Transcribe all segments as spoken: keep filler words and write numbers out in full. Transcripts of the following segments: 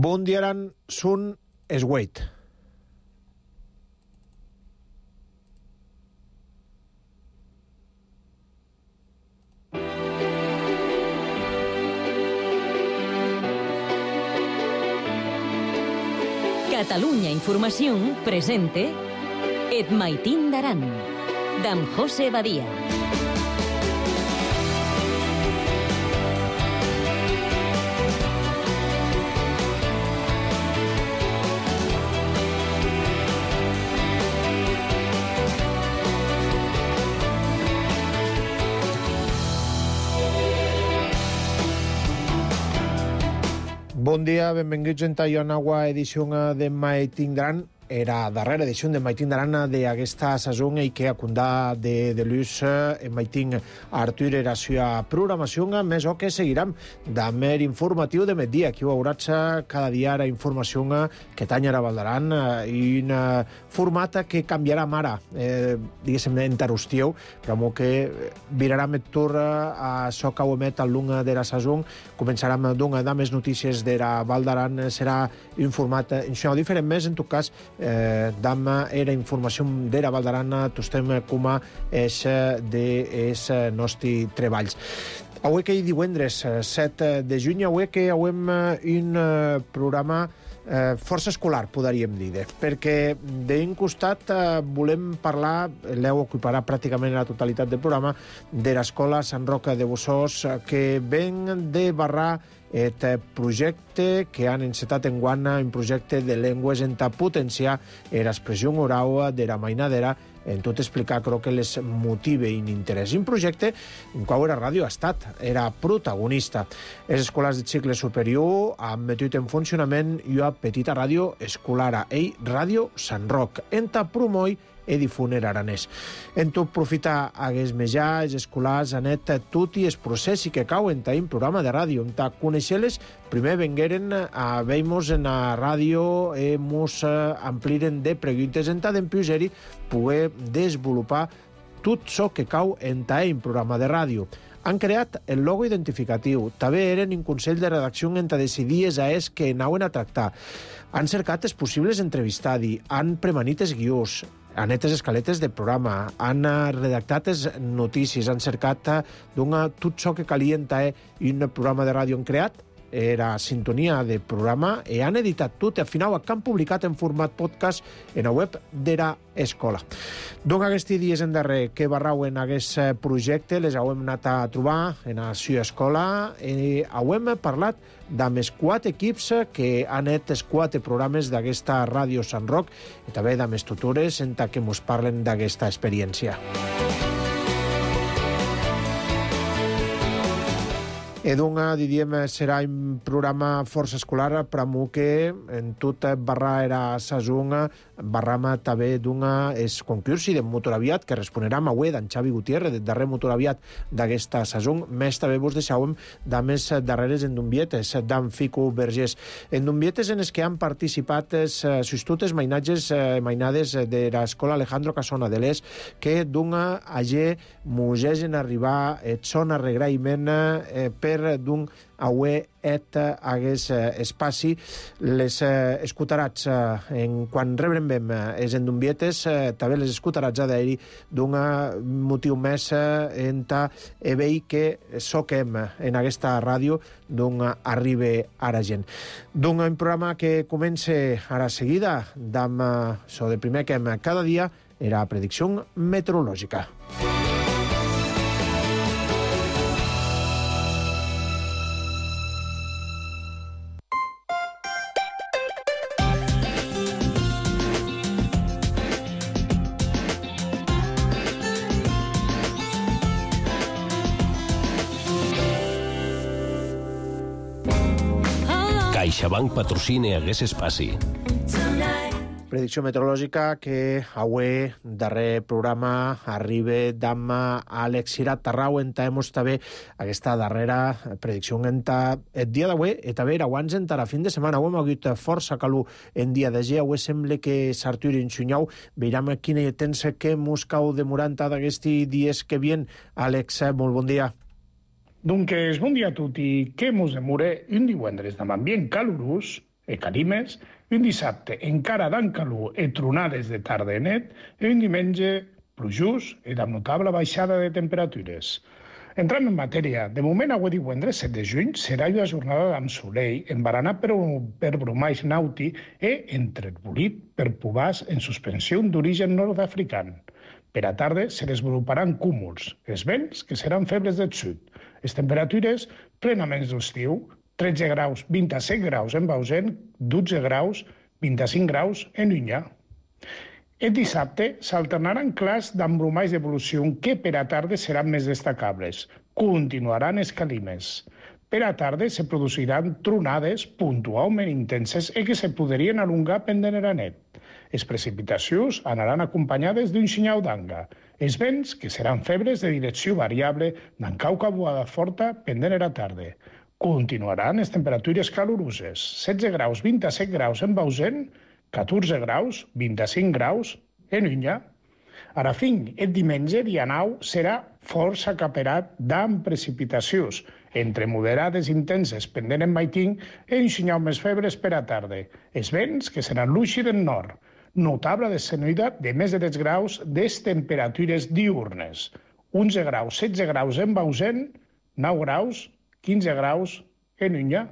Bon dia, Aran, Sun Esweit. Catalunya Informació presente Et Maitín d'Aran, d'en José Badia. Bon dia, benvinguts en una nova edició de Maitín d'Aran. Era darrera edició de Maitín d'Aran d'aquesta saison i que acundà de, de l'ús en Maitín Artur era seva programació, més o que seguirem d'amer informatiu de migdia. Aquí ho hauràs cada dia la informació que tanyarà Valdaran i un format que canviarà ara, eh, diguéssim, enterostieu, però que virarà met tur a so que ho emet al long de la saison. Començarem d'una de més notícies de la Valdaran, serà un format això diferent més, en tot cas, Eh, damma era informació de la Valdaran, tostem com a és de es nostri treballs. Avui que hi divendres, set de juny, avui que avem un programa eh, força escolar, podríem dir, perquè d'un costat eh, volem parlar, l'heu ocuparà pràcticament la totalitat del programa, de l'escola Sant Roc de Bossòs, que ven de barrar et projecte que han encetat en guana, un projecte de llengües en potenciar l'expressió oral de la mainadera, en tot explicar, crec que les motive i interès. Un projecte en qual la ràdio ha estat, era protagonista. Les escoles de cicle superior han metut en funcionament una petita ràdio escolar, ell, Ràdio Sant Roc, enta promoi e difuner aranès. En tot profita hagués mejà, els escolars anet tot i el procés que cau en un programa de ràdio. En conèixer-les, primer vengueren a veimos en la ràdio e mos ampliren de preguntes en tant d'empiuseri poder desenvolupar tot això que cau en un programa de ràdio. Han creat el logo identificatiu. També eren un consell de redacció en decidir els aes que anaven a tractar. Han cercat els possibles entrevistadi, han premanit els guions, han net les escaletes del programa, han redactat les notícies, han cercat d'una tot això que calia en un programa de ràdio han creat, era sintonia de programa, i han editat tot, i al final han publicat en format podcast en la web de l'escola. Donc aquests dies en darrer que barrauen aquest projecte, les hem anat a trobar en la seva escola i hem parlat amb els quatre equips que han net els quatre programes d'aquesta ràdio Sant Roc i també amb els tutores en què ens parlen d'aquesta experiència. Edunga, diríem, serà un programa força escolar, però que en tot barra era sasunga, barrama també d'una és concursi de motoraviat que responerà avui d'en Xavi Gutiérrez, del darrer motoraviat d'aquesta sasun. Més també vos deixàvem de més darreres endumbietes, d'en Fico Vergés. Endumbietes en les que han participat els substitutes mainatges, mainades de l'escola Alejandro Casona de l'Es, que d'una allà musegen arribar et són arregraïment eh, per d'un aué et hagués espaci les escutarats en quan rebrem els endumbietes també les escutarats d'aeri d'un motiu més en ta evei que soquem en aquesta ràdio d'un arribe a la gent. D'un un programa que comença ara seguida d'am so de primer que cada dia era predicció meteorològica. CaixaBank patrocina hagués espaci. Predicció meteorològica que avui, darrer programa, arriba d'am Àlex Cirat Tarrau, en taemos també aquesta darrera predicció en el dia d'avui, i també abans en la fin de setmana. Avui hem hagut força calor en dia de dia, avui sembla que s'arturi en xunyau, veurem quina temps que mos cau demorant d'aquests dies que vien. Àlex, molt bon dia. Doncs bon dia a tutti, que mos demora un divendres amb ambient calorós e calimes, un dissabte encara d'an calor e tronades de tarda i net, i un diumenge plujós i amb notable baixada de temperatures. Entrant en matèria, de moment avui divendres set de juny serà una jornada amb solell, embaranat per, per bromais nauti e entrebolit per pubàs en suspensió d'origen nord-african. Per a tarda se desenvoluparan cúmuls, els vents que seran febles del sud. Les temperatures plenament d'estiu, tretze graus, vint-i-set graus en Bausen, dotze graus, vint-i-cinc graus en Unyà. El dissabte s'alternaran clars d'embromais d'evolució que per a tarda seran més destacables. Continuaran els calimes. Per a tarda se produiran tronades puntualment intenses i que se podrien alongar pendent a net. Les precipitacions anaran acompanyades d'un senyal d'anga. Els vents, que seran febres de direcció variable, d'en cauca boada forta pendent a la tarda. Continuaran les temperatures caloroses. setze graus, vint-i-set graus en Bausen, catorze graus, vint-i-cinc graus en Unyà. Ara fin, el diumenge, dia nou, serà força caperat d'amp precipitacions, entre moderades intenses pendent en Maitín i un senyal més febres per a tarda. Els vents, que seran luixi del nord. Notable descenida de més de deu graus des temperatures diurnes. onze graus, setze graus en Bausen, nou graus, quinze graus en Unyà.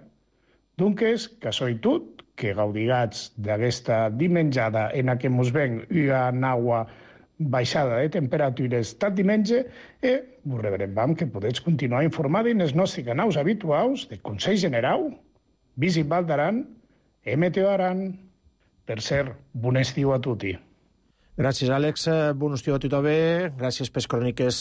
Doncs, que soy tot, que gaudigats d'aquesta dimenjada en què mos ven una nova baixada de temperatures tot diumenge i vos rebrem que podeu continuar informats en els nostres canals habituals de Consell General, Visit Val d'Aran i Meteo Aran. Per cert, bon estiu a tutti. Gràcies, Àlex. Bon estiu a tothom. Gràcies per les cròniques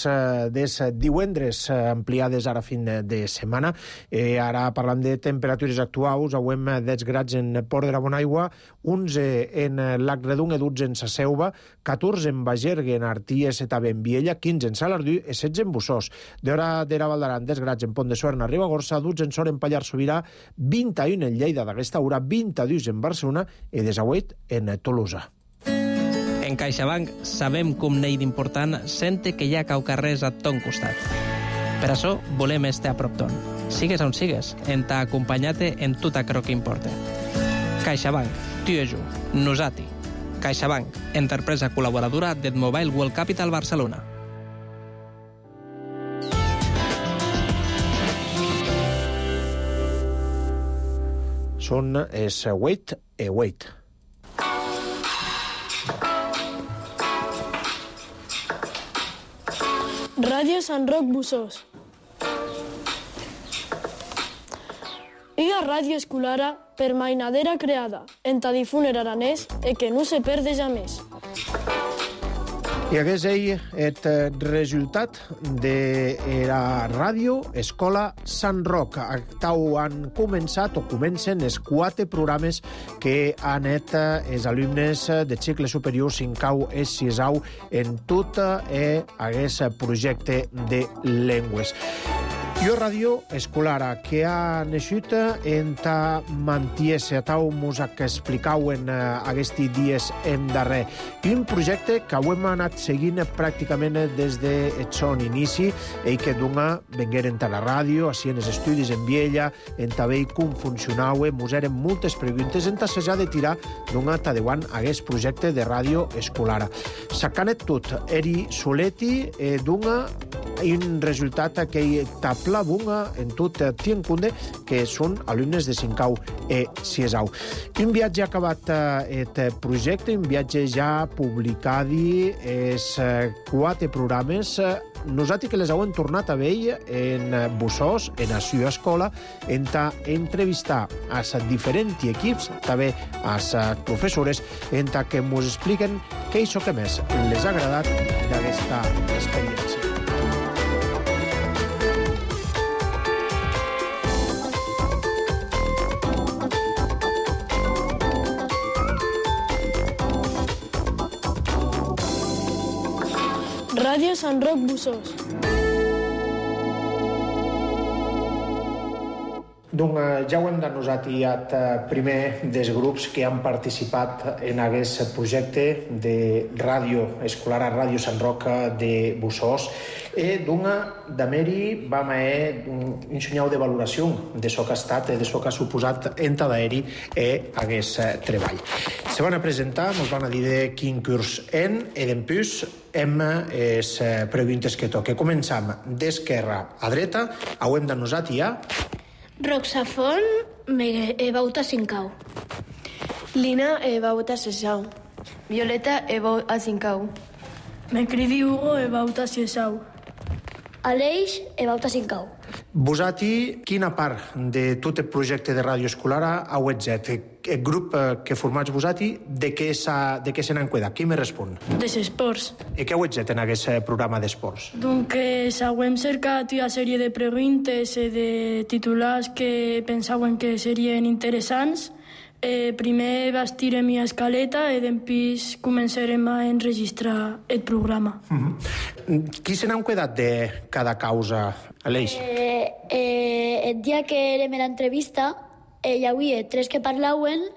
des divendres ampliades ara fin de setmana. Eh, ara parlant de temperatures actuals, avem deu grads en Port de la Bonaigua, onze en Lac Redung i dotze en Sa Selva, catorze en Bagergue, en Arties i també en Viella, quinze en Salardú i setze en Bussós. D'hora d'Era Val d'Aran, deu grads en Pont de Suert, en Ribagorça, dotze en Sort, en Pallars Sobirà, vint-i-un en Lleida d'aquesta hora, vint-i-dos en Barcelona i desahuit en Tolosa. En CaixaBank sabem com n'hi d'important sente que hi ha caucarrers a ton costat. Per això volem estar a prop ton. Sigues on sigues, en t'ha acompanyat en tot aquello que importa. CaixaBank, tu i jo, nosati. CaixaBank, empresa col·laboradora del Mobile World Capital Barcelona. Són els Wait e Wait. Ràdio Sant Roc Bussós. Iga ràdio escolara per mainadera creada en ta difúner aranès e que no se perde jamais. I hagués ell el resultat de la ràdio Escola Sant Roc. Tau han començat o comencen els quatre programes que han anat els alumnes de cicle superior cinquau i sisau en tot aquest projecte de llengües. Jo ràdio escolara que ha naixut en ta mantiese, tau mos que explicau en aquests dies en darrer. Un projecte que ho hem anat seguint pràcticament des de son inici i que dona vengueren a la ràdio, així en els estudis en Viella, en també com funcionau, mos eren moltes preguntes en tassejar de tirar dona tadeuant aquest projecte de ràdio escolara. Sacanet tot, eri soleti eh, dona un resultat que tapla bunga en tot Tienkunde, que són alumnes de cinquau i sisau. Un viatge acabat aquest projecte, un viatge ja publicat els quatre programes. Nosaltres que les heu tornat a veure en Bussós, en la seva escola, en entrevistar als diferents equips, també als professores, en que ens expliquen què és el que més les ha agradat d'aquesta experiència. Ràdio Sant Roc Bussós. Doncs ja ho hem denosat i el primer dels grups que han participat en aquest projecte de ràdio escolar a Ràdio Sant Roca de Bussós. E doncs, d'ameri vam haver un senyal de valoració de so que ha estat, de so que ha suposat en d'aeri e aquest treball. Se van a presentar, ens van a dir de quin curs en, e d'empús hem les preguntes que toque. Començam d'esquerra a dreta, ho hem denosat i ja... Roxafon, he vaut a Cincau. Lina, he vaut a Sesau. Violeta, he vaut a Cincau. Me cridi Hugo, he vaut a Sesau. Aleix, he vaut a Cincau. Vosati, quina part de tot el projecte de ràdio escolar heu exet? El grup que formats vosati, de què se n'han cuidat? Qui me respon? Des esports. I què heu exet en aquest programa d'esports? Doncs hem cercat una sèrie de preguntes i de titulars que pensaven que serien interessants. Eh, primer bastirem una escaleta i després començarem a enregistrar el programa. Mm-hmm. Qui se n'han cuidat de cada causa, Aleix? Eh, eh, el dia que érem a l'entrevista, eh, hi havia tres que parlaven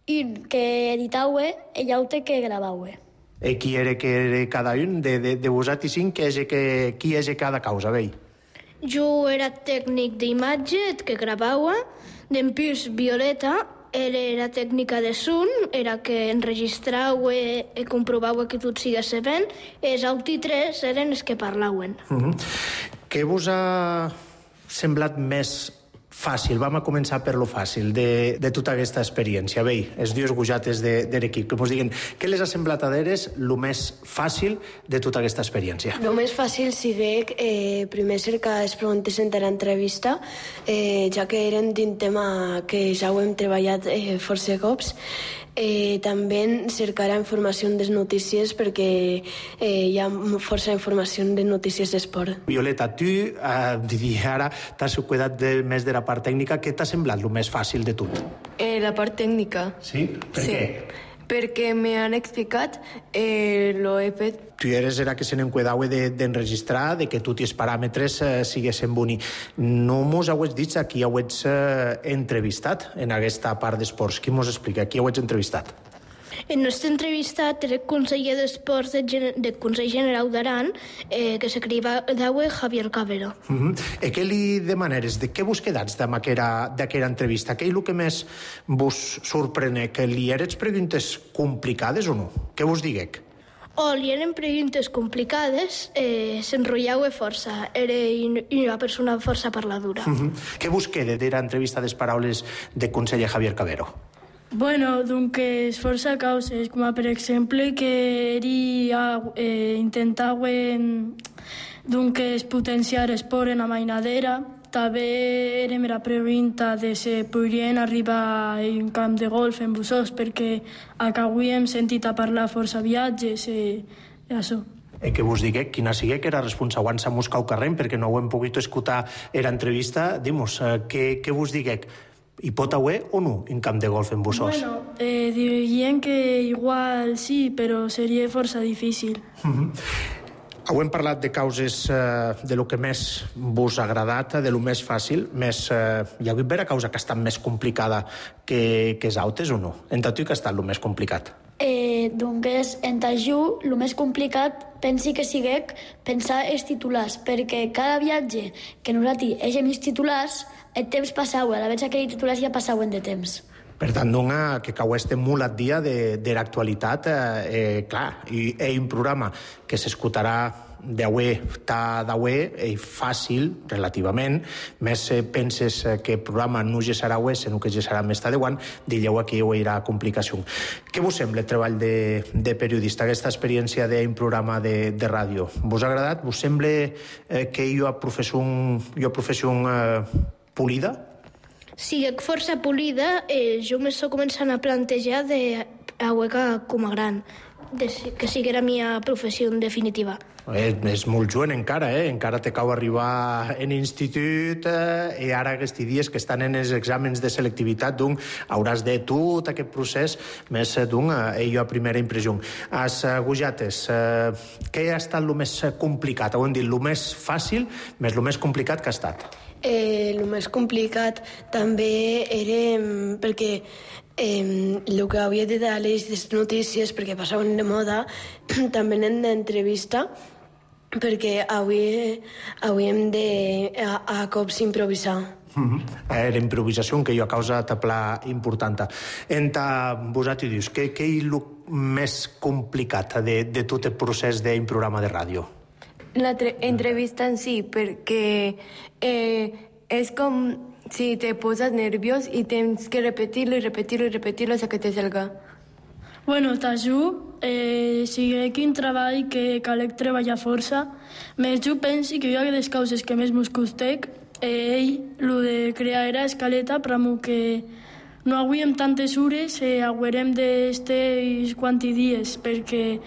i que editaven i l'altre que gravaven. I qui era que era cada un? De, de, de vosaltres cinc, qui és, que, qui és cada causa, vei? Jo era tècnic d'imatge, que gravava, d'empús Violeta, era la tècnica de son, era que enregistrau i comprovau que tot sigués sabent, i els altres tres eren els que parlaven. Mm-hmm. Què vos ha semblat més fàcil? Vam a començar per lo fàcil de, de tota aquesta experiència. Bé, els dies gojates de, de l'equip, que mos diguen què les ha semblat a d'eres el més fàcil de tota aquesta experiència? El més fàcil sigue eh, primer cercar les preguntes en l'entrevista, eh, ja que eren d'un tema que ja ho hem treballat eh, força cops. Eh, també cercar informació de notícies perquè eh, hi ha força informació de notícies d'esport. Violeta, tu eh, diria ara t'has cuidat de, més de la part tècnica. Què t'ha semblat el més fàcil de tot? Eh, la part tècnica. Sí? Per sí. què? Perquè m'han explicat, eh, lo he fet. Tu eres era que se n'encuidava d'enregistrar, de que tots els paràmetres eh, siguessin boni. No mos heu dit a qui heu eh, entrevistat en aquesta part d'esports. Qui mos explica? Qui heu entrevistat? El nostre entrevistat era el conseller d'Esports del Consell General d'Aran, eh, que s'acribava Javier Cabero. Uh-huh. I què li demaneres? De què vos quedats d'aquella entrevista? Què és el que més vos sorprene? Que li eres preguntes complicades o no? Què vos diguec? O li eren preguntes complicades, eh, s'enrotllava força. Era una persona força parladura. Uh-huh. Què vos queda de l'entrevista de les paraules del conseller Javier Cabero? Bueno, doncs és força causes, com per exemple que ell eh, intentava doncs, potenciar l'esport en la mainadera. També era la pregunta de si podrien arribar a un camp de golf en Bussós, perquè avui hem sentit a parlar força viatges i això. I que vos digué, quina sigui que era responsable en Muscau Carrem, perquè no ho hem pogut escoltar en l'entrevista. Dimos, eh, què, què vos digué? Hi pot haver o no un camp de golf en Bussós? Bueno, eh, dirien que igual sí, però seria força difícil. Mm-hmm. Heu parlat de causes eh, de lo que més vos ha agradat, de lo més fàcil, més, eh, hi ha hagut vera causa que ha estat més complicada que, que els altres o no? En tu que ha estat lo més complicat? Eh, doncs en Tajú el més complicat pensi que siguec pensar els titulars, perquè cada viatge que nosaltres hagem els titulars, el temps passava, a la vegada que els titulars ja passaven de temps. Per tant, dona que cau estem molt al dia de, de l'actualitat, eh, eh, clar, i, i un programa que s'escoltarà d'aué, ta d'aué, eh, fàcil, relativament, més eh, penses que el programa no ja serà aué, sinó que ja serà més tardeuant, dilleu aquí hi haurà complicació. Què vos sembla el treball de, de periodista, aquesta experiència d'un programa de, de ràdio? Vos ha agradat? Vos sembla eh, que hi ha professió, hi ha professió eh, polida? Sí, força polida, eh, jo m'estic començant a plantejar de a hueca com a gran, de, que sigui la meva professió en definitiva. És, és molt jovent encara, eh? Encara te cau arribar en institut eh? I ara aquests dies que estan en els exàmens de selectivitat, doncs hauràs de tot aquest procés més d'un, eh, jo a primera impressió. As uh, Gujates, eh, què ha estat el més complicat? Ho hem dit, el més fàcil, més el més complicat que ha estat? Eh, el més complicat també era perquè eh, el que havia de dar les notícies, perquè passaven de moda, també en d'entrevista, perquè avui, avui hem de a, a cops improvisar. Mm-hmm. Era improvisació que jo ha causat a pla important. Enta vosaltres dius, què, què és el més complicat de, de tot el procés d'un programa de ràdio? L'entrevista en si, perquè eh, és com si te poses nerviós i tens que repetir-lo i repetir-lo i repetir-lo fins que te salga. Bueno, t'ajudo, eh, sigui quin treball que calec treballar força, més jo pensi que jo hi ha les causes que més mos costec, eh, ell, lo de crear era escaleta, però que no aguiem tantes hores, eh, aguerem d'estes quanti dies, perquè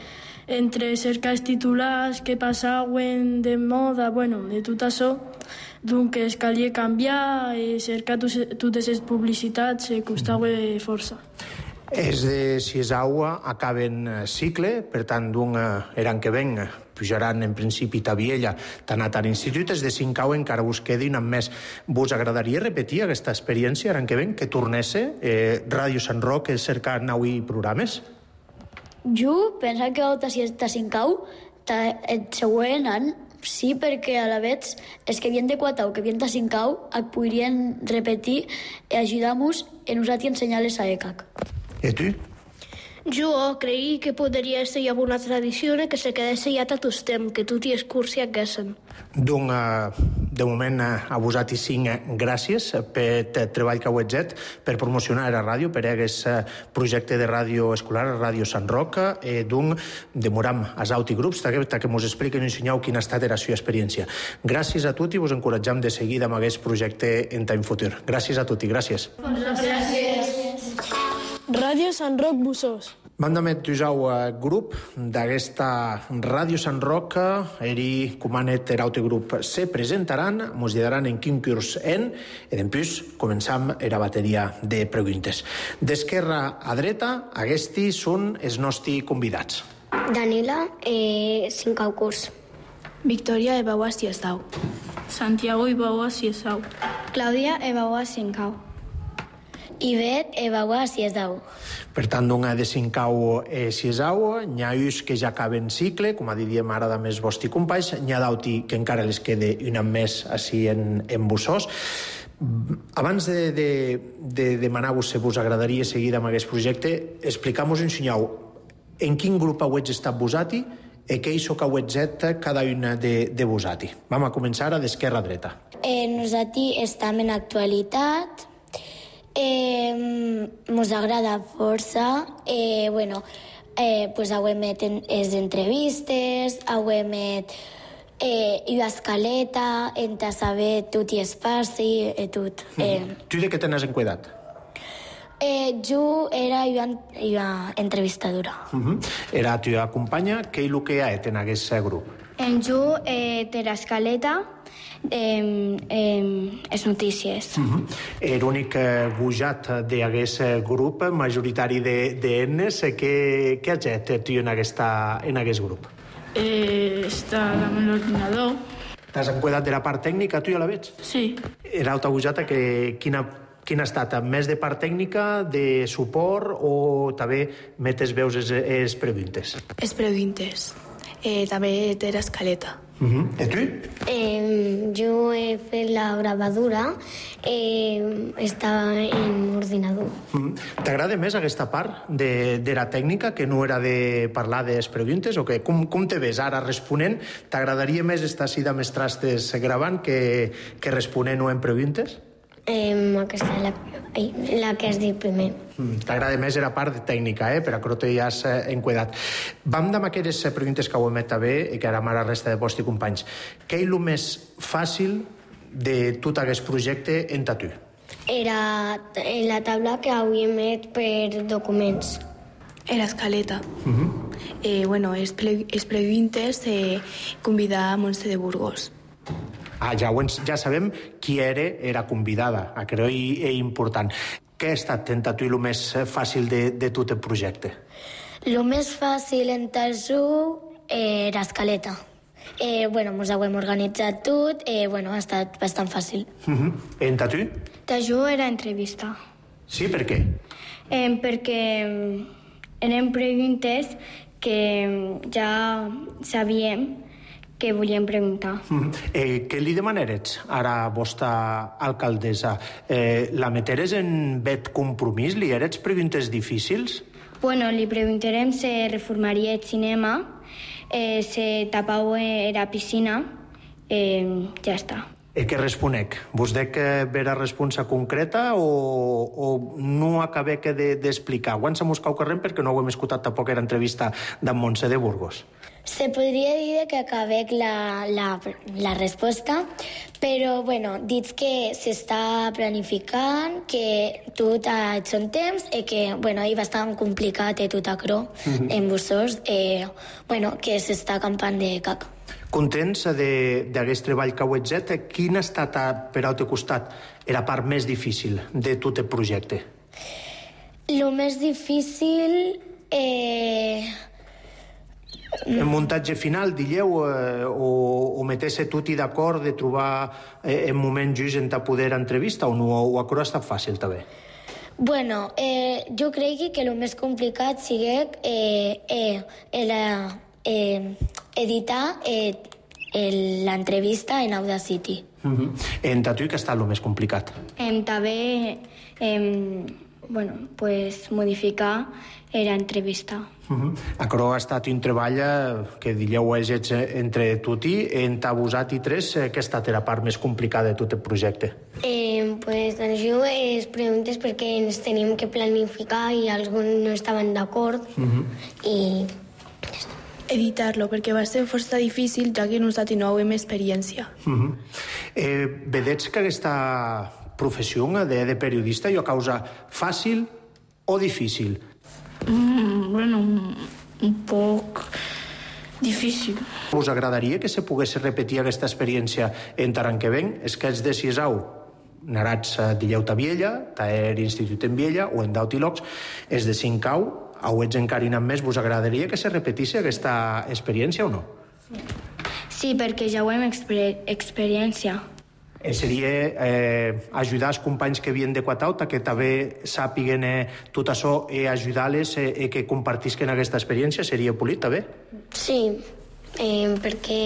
entre cercar els titulars que passaven de moda, bueno, de tot això, doncs es calia canviar, eh, cercar totes les publicitats, eh, costava força. És de sis aigua, acaben cicle, per tant, d'un eran que ven, pujaran en principi a Viella, t'ha anat a l'institut, és de cinc aigua encara us quedi un més. Vos agradaria repetir aquesta experiència, eran que ven, que tornesse eh, Ràdio Sant Roc, cercar naui programes? Jo penso que a ta cinc au, el següent any, sí, perquè a la vegada els que havien de quatre au, que havien de cinc au, et podrien repetir i ajudar-nos a nosaltres ensenyar-les a E C A C. I tu? Jo creia que podria ser una tradició que se quedés ja tot el temps, que tot i els cursi haguessin. Doncs, de moment, a vosaltres cinc gràcies per el treball que heu fet per promocionar la ràdio, per aquest projecte de ràdio escolar, Ràdio Sant Roc. Doncs, demoram als altres grups que ens expliquen i ensenyeu quina ha estat la seva experiència. Gràcies a tots i vos encoratjam de seguir amb aquest projecte en temps futur. Gràcies a tots i gràcies. Gràcies. Ràdio Sant Roc Bussós. Vam de metujau grup d'aquesta Ràdio Sant Roc, eri comanet er altre grup se presentaran, mos diran en quin curs en, i després començam era bateria de preguntes. D'esquerra a dreta, aquests són els nostres convidats. Danila, eh, cinc au curs. Victòria Ebaua Siesau. Santiago Ibaua Siesau. Clàudia Ebaua cinc au. Ivet Ebaua Siesau. Per tant, d'una de cinc au e sis au, n'hi ha uns que ja acaben cicle, com a diríem ara de més vostres companys, n'hi ha d'altres que encara les queda un any més així en, en Bussós. Abans de, de, de demanar-vos si vos agradaria seguir amb aquest projecte, explicam-vos, ensenyeu, en quin grup heu estat vosaltres i què és que heu fet cada una de, de vosaltres. Vam a començar a d'esquerra a dreta. Eh, nosaltres estem en actualitat, eh, mos agrada força, eh, bueno, eh, pues hauem fet les entrevistes, hauem fet eh, i escaleta, en saber tot i espaci, i tot. Eh. Mm. Tu de què tens en cuidat? Eh, jo era jo, jo entrevistadora. Uh-huh. Era tu companya, què és el que hi ha en aquest grup? En jo, eh, de l'escaleta, eh, eh, les notícies. Uh-huh. L'únic eh, bujat d'aquest grup, majoritari d'ennes, de, què, què has fet tu en, aquesta, en aquest grup? Eh, està amb l'ordinador. T'has encuidat de la part tècnica, tu ja la veig? Sí. Era alta bujata que quina Quina ha estat? Més de part tècnica, de suport o també metes veus les, les preguntes? Les preguntes. Eh, també té l'escaleta. Uh-huh. I tu? Eh, jo he fet la gravadura, eh, estava en ordinador. Uh-huh. T'agrada més aquesta part de, de la tècnica, que no era de parlar de les preguntes? O que, com, com te ves ara responent? T'agradaria més estar així de més trastes gravant que, que responent o en preguntes? Eh, aquesta és la, la que has dit primer. Mm, T'agrada més la part tècnica, eh? Per a que t'hi has eh, encuidat. Vam amb aquelles preguntes que ho hem fet bé i que ara amb la resta de vostres companys. Què és el més fàcil de tot aquest projecte en tu? Era la taula que havíem fet per documents. Era escaleta. Uh-huh. eh, bueno, les preguntes eh, convidar a Montse de Burgos. Ah, ja, ja sabem qui era, era convidada, a creu és important. Què ha estat per tu el més fàcil de, de tot el projecte? El més fàcil en Tajú era escaleta. Eh, bueno, ens ho hem organitzat tot, eh, bueno, ha estat bastant fàcil. Uh-huh. En Tajú? Tajú era entrevista. Sí, per què? Eh, perquè eren preguntes que ja sabíem que volíem preguntar. Mm. Eh, què li demanarets ara a vostra alcaldessa? Eh, la meteres en vet compromís? Li eres preguntes difícils? Bueno, li preguntarem si reformaria el cinema, eh, si tapau era piscina, eh, ja està. E què responec? Vos dec vera responsa concreta o, o no acabé que d'explicar? De, Quan s'ha buscat carrer perquè no ho hem escoltat tampoc era entrevista d'en Montse de Burgos. Se podria dir que acabé la, la, la resposta, però, bueno, dits que s'està planificant, que tot ha et son temps, i que, bueno, és bastant complicat i tot acrò, mm-hmm. en vosaltres, eh, bueno, que s'està campant de cac. Contents d'aquest treball que heu fet? Quin ha estat, per al teu costat, la part més difícil de tot el projecte? El més difícil... Eh... El muntatge final, digueu, eh, o, o meter-se tot i d'acord de trobar eh, el moment just en ta poder entrevista, o no, o acrò ha estat fàcil, també? Bueno, eh, jo crec que el més complicat sigui eh, eh, eh, eh, editar eh, l'entrevista en Audacity. Uh-huh. En Tatu, què ha estat el més complicat? Em, també, em, bueno, pues, modificar l'entrevista. Uh-huh. Acrò ha estat un treball que dieu és entre tuti, entre vosat i tres, que ha estat la part més complicada de tot el projecte? Eh, pues, doncs jo es preguntes perquè ens tenim que planificar i alguns no estaven d'acord uh-huh. i... Editar-lo, perquè va ser força difícil, ja que nosaltres no hem experiència. Uh-huh. eh, vedets que aquesta professió de, de periodista jo causa fàcil o difícil? Mm, bueno, un poc difícil. Us agradaria que se pogués repetir aquesta experiència en Taran que ven? És que ets de Siesau, narats de Lleuta Viella, t'er institut en Viella, o en Dautilocs, és de Sincau, o ets encara inant més, vos agradaria que se repetís aquesta experiència o no? Sí, perquè ja ho hem exper experiència. Eh, seria eh, ajudar els companys que havien de Quatauta, que també sàpiguen eh, tot això i ajudar-les i eh, que compartisquen aquesta experiència, seria polit, també? Sí, eh, perquè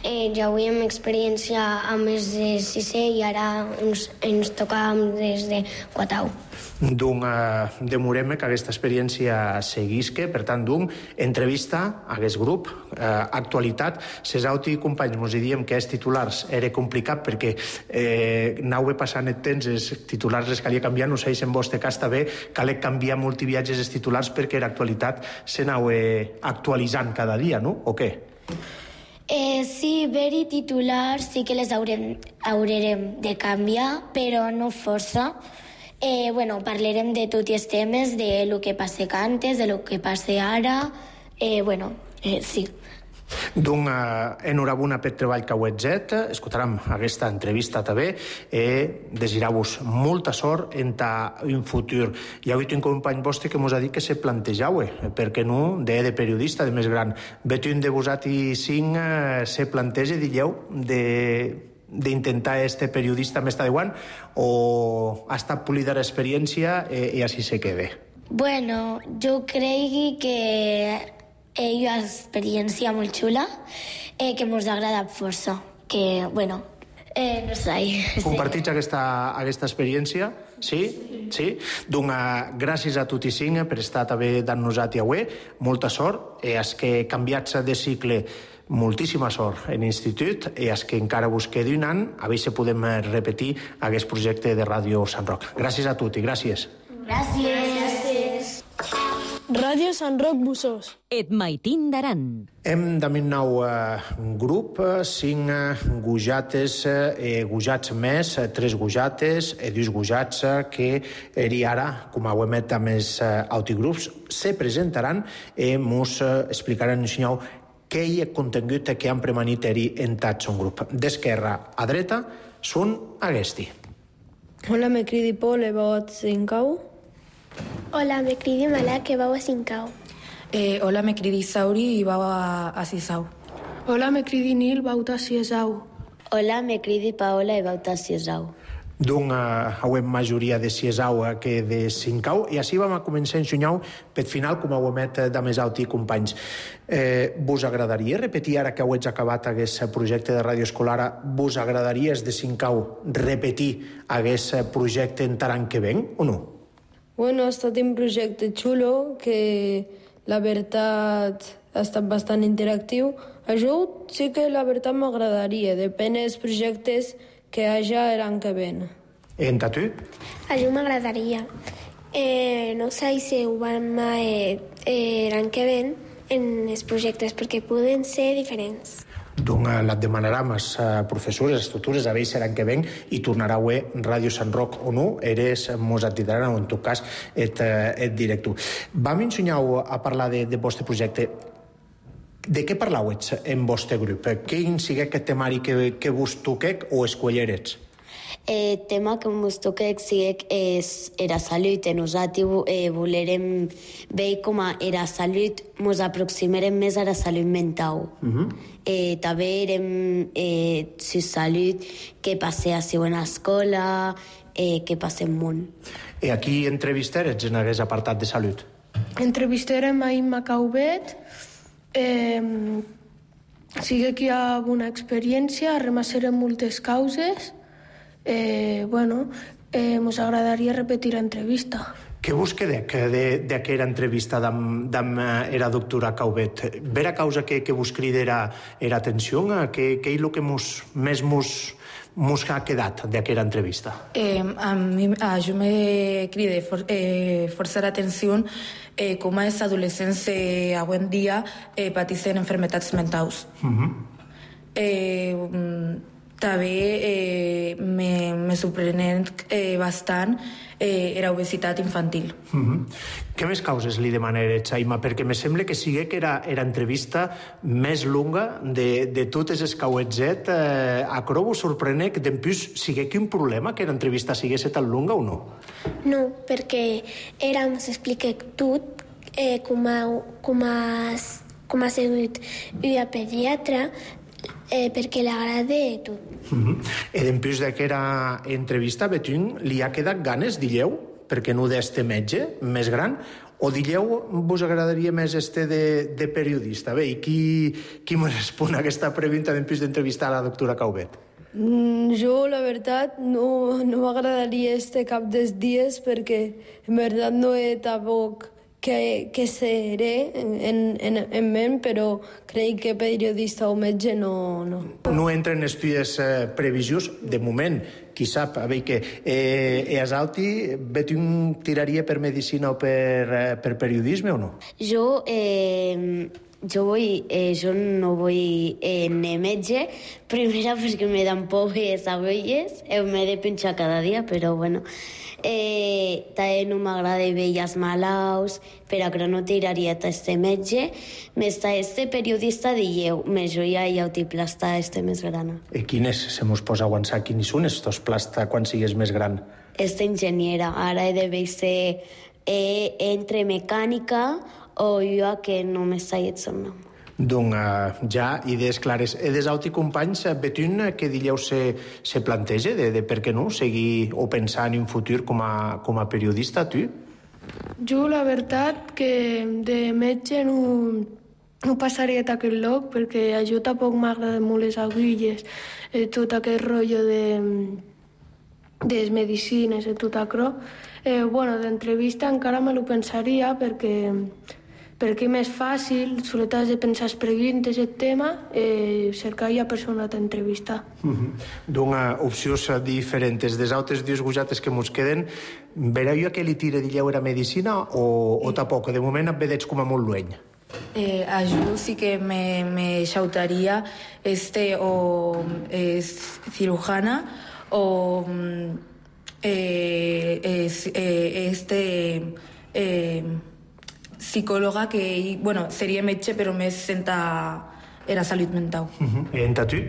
eh, ja avui experiència amb els de sisè i ara ens, ens toca des de Quatau. Doncs eh, demorem que aquesta experiència seguisca, per tant, doncs, entrevista a aquest grup, eh, actualitat. Cesauti i companys, mos diem que els titulars era complicat perquè eh, anava passant el temps, els titulars les calia canviar, no sé si en vostre cas també calia canviar multiviatges els titulars perquè l'actualitat s'anava actualitzant cada dia, no? O què? Eh, sí, ver-hi titulars sí que les haurem, haurem de canviar, però no força. Eh, bueno, parlarem de tots els temes, de lo que passa antes, de lo que passa ara, eh, bueno, eh, sí. Doncs eh, enhorabona per treball que heu fet, escoltarem aquesta entrevista també i desireu-vos molta sort en un futur. Hi ha hagut un company vostre que mos ha dit que se plantejau, eh, perquè no, de, de periodista, de més gran. Vet un de vosat i cinc eh, se planteja, digueu, de... d'intentar este periodista més taiwan o ha estat polida l'experiència i, i així se quede? Bueno, jo crec que és una experiència molt xula eh, que ens agrada força, que, bueno, eh, no sé. Compartits aquesta, aquesta experiència? Sí? Sí? Doncs uh, gràcies a tots i cinc per estar també d'en-nos-at i avui, molta sort, i els que canviats de cicle moltíssima sort en l'institut i els que encara vos quedi un any, a veure si podem repetir aquest projecte de Ràdio Sant Roc. Gràcies a tots i gràcies. Gràcies. Gràcies. Ràdio Sant Roc Bussós. Et Maitin d'Aran. Hem de un nou uh, grup, cinc uh, gujates, uh, gujats més, uh, tres gujates, e dos gujats uh, que eri ara, com ho hem dit amb els uh, autogrups, se presentaran i mos uh, explicaran un senyor què hi ha contingut que han premanit eri en tot son grup. D'esquerra a dreta són aquesti. Hola, me cridi Pol, e vau a Sincau. Hola, me cridi Malak, e vau a Sincau. Eh, hola, me cridi Sauri i vau a, a Sisau. Hola, me cridi Nil, vau a Siesau. Hola, me cridi Paola i vau a Siesau. D'un uh, hauem majoria de Siesau que de Sincau, i així vam a començar a ensenyar per final, com ho hem dit de més alt i companys. Eh, vos agradaria repetir, ara que heu acabat aquest projecte de ràdio escolar, vos agradaria de Sincau repetir aquest projecte en l'any que ven, o no? Bueno, ha estat un projecte xulo, que la veritat ha estat bastant interactiu. A jo sí que la veritat m'agradaria, depèn dels projectes que hi ha l'any que ven. En tu? A jo m'agradaria. Eh, no sé si ho vam eh, eh, l'any que ven en els projectes, perquè poden ser diferents. Donc la demanarem als professors, les estructures, a veure si l'any que ven i tornarà a Ràdio Sant Roc o no, eres mos atidaran o en tot cas et, et directiu. Vam ensenyar a parlar de, de vostre projecte. De què parlau en vostre grup? Quin sigui aquest temari que, que vos toquec o escollerets? El tema que ens toca és era salut. Nosaltres eh, volerem veure com era salut, ens aproximarem més a la salut mental. Uh-huh. eh, també érem eh, si salut, què passa a en l'escola, eh, què passa al món. I aquí entrevistarets en aquest apartat de salut? Entrevistarem a Imma Caubet, eh, sigui que hi ha una experiència, remassarem moltes causes. Eh, bueno, eh, mos agradaria repetir l'entrevista. Què vos quedec d'aquella entrevista amb la doctora Caubet? Vera causa que, que vos crida era atenció? Què és el que mos, més mos, mos ha quedat d'aquella entrevista? Eh, a mi a jo me crida for, eh, força l'atenció eh, com els adolescents eh, avui en dia eh, pateixen enfermetats mentals. Uh-huh. eh, També eh, me, me sorprenent eh, bastant eh, era obesitat infantil. Uh-huh. Què més causes li demanaré, Xaima? Perquè me sembla que sigui que era, era entrevista més longa de, de totes les que heu fet. Eh, a Cro vos sorprene que d'empús sigui que un problema que l'entrevista sigués tan longa o no? No, perquè era, ens explica tot, eh, com, ha, com, ha, com ha sigut una pediatra, Eh, perquè l'agrada tot. Uh-huh. I d'empús d'aquesta entrevista, Betún, li ha quedat ganes, dilleu, perquè no d'este metge més gran, o dilleu vos agradaria més este de, de periodista? Bé, i qui, qui me respon a aquesta pregunta d'empús d'entrevistar a la doctora Caubet? Mm, jo, la veritat, no, no m'agradaria este cap dels dies perquè en veritat no he tampoc que, que seré en, en, en ment, però crec que periodista o metge no... No, no entren els tues eh, previsions, de moment, qui sap, a veure que eh, és alti, Betún tiraria per medicina o per, eh, per periodisme o no? Jo... Eh... Jo, vull, eh, jo no vull eh, anar metge, primera perquè me dan por les abelles, eh, m'he de pinxar cada dia, però bueno, eh, també no m'agrada veure els malalts, però que no tiraria a este metge, més este periodista dieu, més jo ja hi ha plasta este més gran. I quines, se mos posa a aguançar, quins són estos plasta quan sigues més gran? Esta enginyera, ara he de veure eh, entre mecànica o jo que no m'està dit el nom. Doncs uh, ja idees clares. E des altres companys, Betún, què dilleu se, se planteja de, de per què no seguir o pensar en un futur com a, com a periodista, tu? Jo, la veritat, que de metge no, no passaria d'aquest lloc, perquè a jo tampoc m'agraden molt les agulles, eh, tot aquest rotllo de, de les medicines i tot això. Eh, bueno, d'entrevista encara me lo pensaria, perquè perquè és més fàcil, sobretot has de pensar les preguntes el tema, eh, cercar ja persona t'entrevistar. Mm-hmm. D'una opcions diferents. Des altres dies gujates que mos queden, vereu jo que li tira de lleure a medicina o, o tampoc? De moment et vedeig com a molt lueny. Eh, a yo sí que me, me xautaría este o es cirujana o eh, es, eh, este eh, psicòloga que, bueno, seria metge però més senta era salut mental. Uh-huh. I en tu?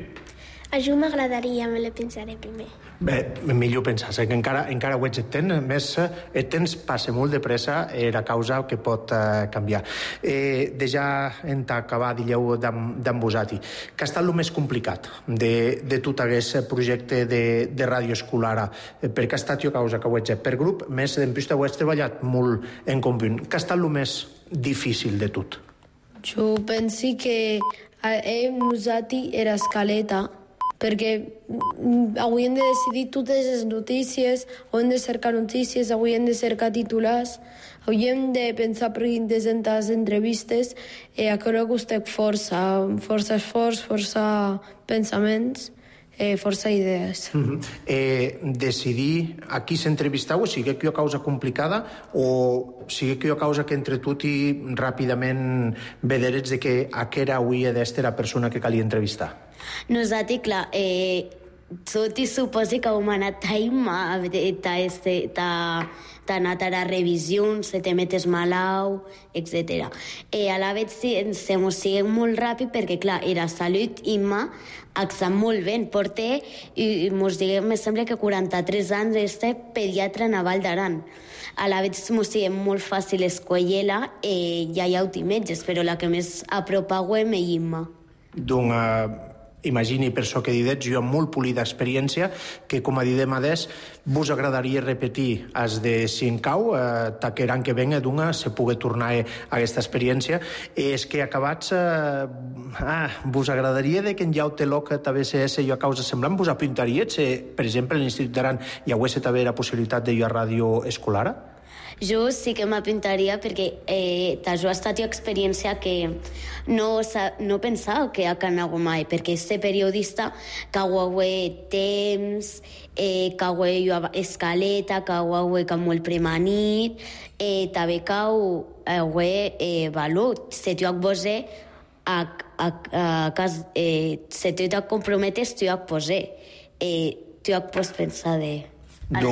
A jo m'agradaria, me la pensaré primer. Bé, millor pensar, que encara, encara ho ets et temps, més et temps passa molt de pressa, era causa que pot eh, canviar. Eh, de ja en acabar, digueu, d'en Busati, que ha estat el més complicat de, de tot aquest projecte de, de ràdio escolar, eh, perquè ha estat jo causa que ho ets per grup, més en pista ho ets treballat molt en conjunt. Que ha estat el més difícil de tot? Jo penso que en Busati era escaleta, perquè hauríem de decidir totes les notícies, hauríem de cercar notícies, hauríem de cercar titulars, hauríem de pensar preguntes en les entrevistes, i això costa força, força esforç, força pensaments, eh, força idees. Uh-huh. eh, decidir a qui s'entrevistau, sigui que hi ha causa complicada o sigui que hi ha causa que entre tu i ràpidament vederets de que aquesta hauria d'estar la persona que calia entrevistar? Nosaltres, clar, eh, tot i suposi que hem anat a Ima, t'ha anat a la revisió, se te metes malau, etcètera. Eh, a la vegada sí, ens ho siguen molt ràpid perquè, clar, era salut, Ima, està molt bé, porté, i mos diguem, me sembla que quaranta-tres anys este pediatre a Vall d'Aran. A la vegada mos siguen molt fàcil escollir-la, eh, ja hi ha metges, però la que més apropa és Ima. Doncs imagini per això que didets, jo amb molt polida experiència, que com a didem adés, vos agradaria repetir els de Sincau, eh, que l'any que venga d'una se pugui tornar a aquesta experiència. És que acabats, eh, ah, vos agradaria de que en jau te loca també se ese jo a causa semblant, vos apuntaria, se, per exemple, a l'Institut d'Aran hi hagués també la possibilitat de jo a ràdio escolar? Jo sí que m'apuntaria perquè eh, jo ha estat una experiència que no, no pensava que ha anat mai, perquè este periodista que ho temps, eh, que ho escaleta, que ho que molt premanit, eh, també que ho eh, valor, se t'ho posé a, a, a cas, eh, se t'ho comprometes, t'ho posé, eh, t'ho pots pensar de... A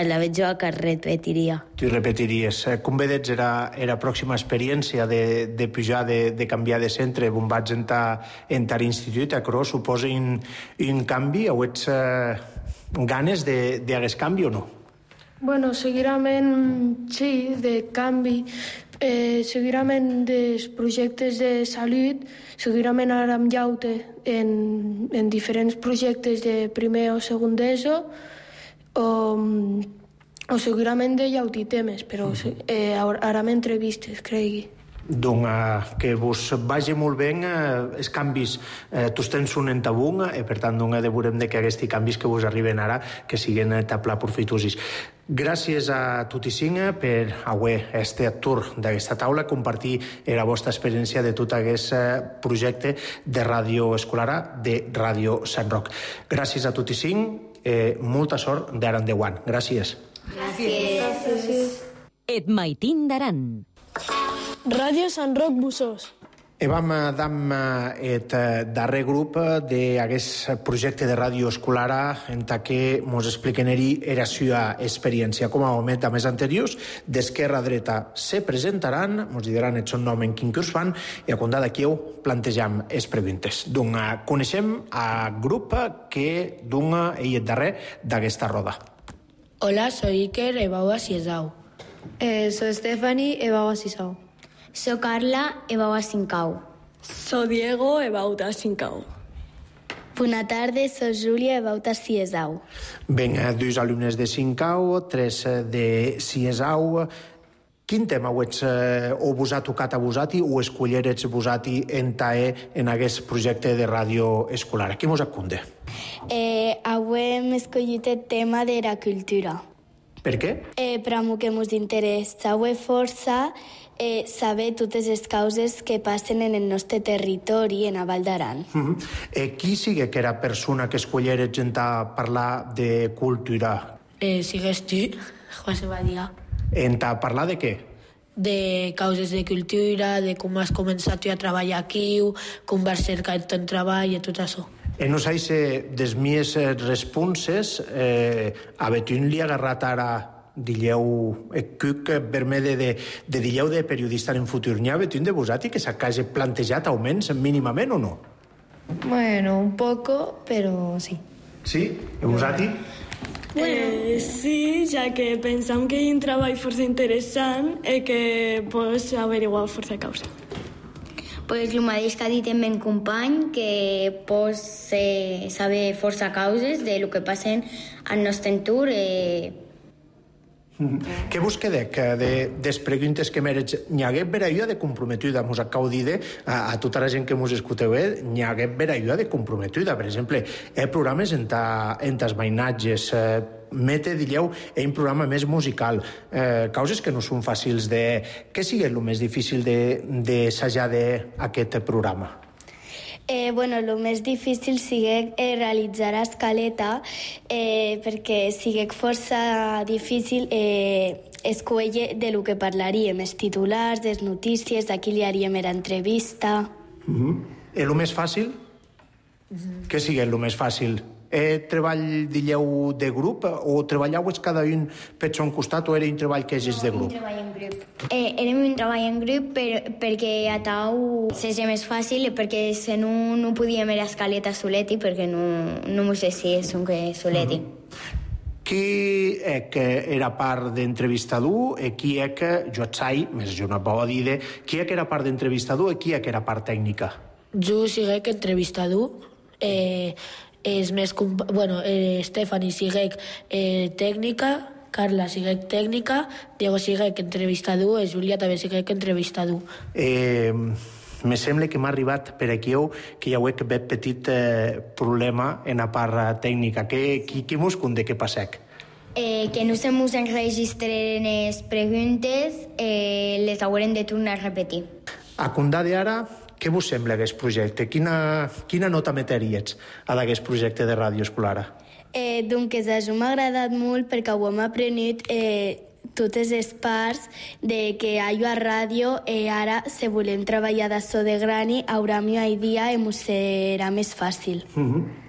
la veig jo que repetiria. Tu repetiries. Com vedets, era la pròxima experiència de, de pujar, de, de canviar de centre, on vaig entrar en l'institut, però suposa un, un canvi, o ets eh, ganes d'aquest canvi o no? Bueno, segurament sí, de canvi. Eh, segurament dels projectes de salut, segurament ara amb llaute en, en diferents projectes de primer o segon d'ESO, O, o segurament de llauti temes, però eh, ara m'entrevistes, cregui. Doncs eh, que vos vagi molt bé eh, els canvis, eh, tots tens un en tabú, i eh, per tant doncs, de veurem de que aquests canvis que vos arriben ara que siguen taplar profitosis. Gràcies a tots i cinc per haver estat tour d'aquesta taula, compartir la vostra experiència de tot aquest projecte de ràdio escolar de Ràdio Sant Roc. Gràcies a tots i cinc. Eh, molta sort d'ara endavant. Gràcies. Gràcies. Gràcies. Et maitin d'Aran. Ràdio Sant Roc Bussós. I vam dam et darrer grup d'aquest projecte de ràdio escolar en què ens expliquen-hi la seva experiència. Com a moment a més anteriors, d'esquerra a dreta se presentaran, ens diran el seu nom en quin curs fan, i a compte d'aquí ho plantejam les preguntes. Doncs coneixem el grup que dona ell el darrer d'aquesta roda. Hola, soy Iker Ebaua Siesau. Eh, soy Stephanie Ebaua Siesau. Soy Carla Ebaua Sincau. Soy Diego Ebauta Sincau. Buenas tardes, soy Julia Ebauta Siesau. Ben, dos alumnes de Sincau, tres de Siesau. Quin tema ho, ets, o vos ha tocat a vosati o escollerets vosati en tae en aquest projecte de ràdio escolar? Qui mos acunde? Eh, avui hem escollit el tema de la cultura. Per què? Eh, per a mi que ens interessa força eh, saber totes les causes que passen en el nostre territori, en a Val d'Aran. Uh-huh. eh, qui sigue que era persona que escollera gent a parlar de cultura? Eh, sigues tu, José Badia. En a parlar de què? De causes de cultura, de com has començat tu a treballar aquí, com vas cercar el teu treball i tot això. E non sai se des mies responses eh, a Betún li ha agarrat ara dilleu e cuc vermede de, de dilleu de periodista en futur. N'hi ha Betún de vosati que s'hagi plantejat augments mínimament o no? Bueno, un poco, pero sí. Sí? E vosati? Eh, sí, ja que pensam que hi ha un treball força interessant i que pots averiguar força causa. Pues el mateix que ha dit el meu company, que pots eh, saber força causes de lo que passen al nostre entorn. Eh... Mm-hmm. Què vos quedec de, des preguntes que mereix? N'hi hagué veraïa de comprometuda, mos acabo de dir a, a tota la gent que mos escolteu, eh? N'hi hagué veraïa de comprometuda. Per exemple, hi ha programes en, ta, en tas mainatges, eh, mete, dilleu, hi ha un programa més musical, eh, causes que no són fàcils de... Què sigui el més difícil d'assajar de, d'aquest programa? Eh, bueno, el més difícil sigue eh, realitzar escaleta eh, perquè sigue força difícil eh, escollir de lo que parlaríem, els titulars, les notícies, d'aquí li haríem l'entrevista. Uh-huh. El més fàcil? Uh-huh. Què sigue el més fàcil? Eh, treball, dilleu, de grup o treballeu cada un per son costat o era un treball que és de grup? No, un treball en grup. Eh, érem un treball en grup per, perquè a tau seria més fàcil perquè si no, no podíem era escaleta soleti perquè no, no m'ho sé si és un que soleti. Mm-hmm. Qui è che era part d'entrevistador e chi è che, jo et sai, més jo no puedo dir, qui è que era part d'entrevistador e qui è que era part tècnica? Jo siguec entrevistador, eh, és més... Bueno, eh, Estefani siguec eh, tècnica, Carla siguec tècnica, Diego siguec entrevistador i Júlia també siguec entrevistador. Eh, me sembla que m'ha arribat per aquí que hi ha un petit eh, problema en la part tècnica. Què, qui, qui mos conté què passec? Eh, que no se mos enregistren les preguntes, eh, les haurem de tornar a repetir. A condar d'ara, què vos sembla aquest projecte? Quina, quina nota meteries a d'aquest projecte de ràdio escolar? Eh, doncs això m'ha agradat molt perquè ho hem aprenut eh, totes les parts de que allò a ràdio eh, ara, si volem treballar d'això de grani, haurà millor idea i ens serà més fàcil. Mm-hmm.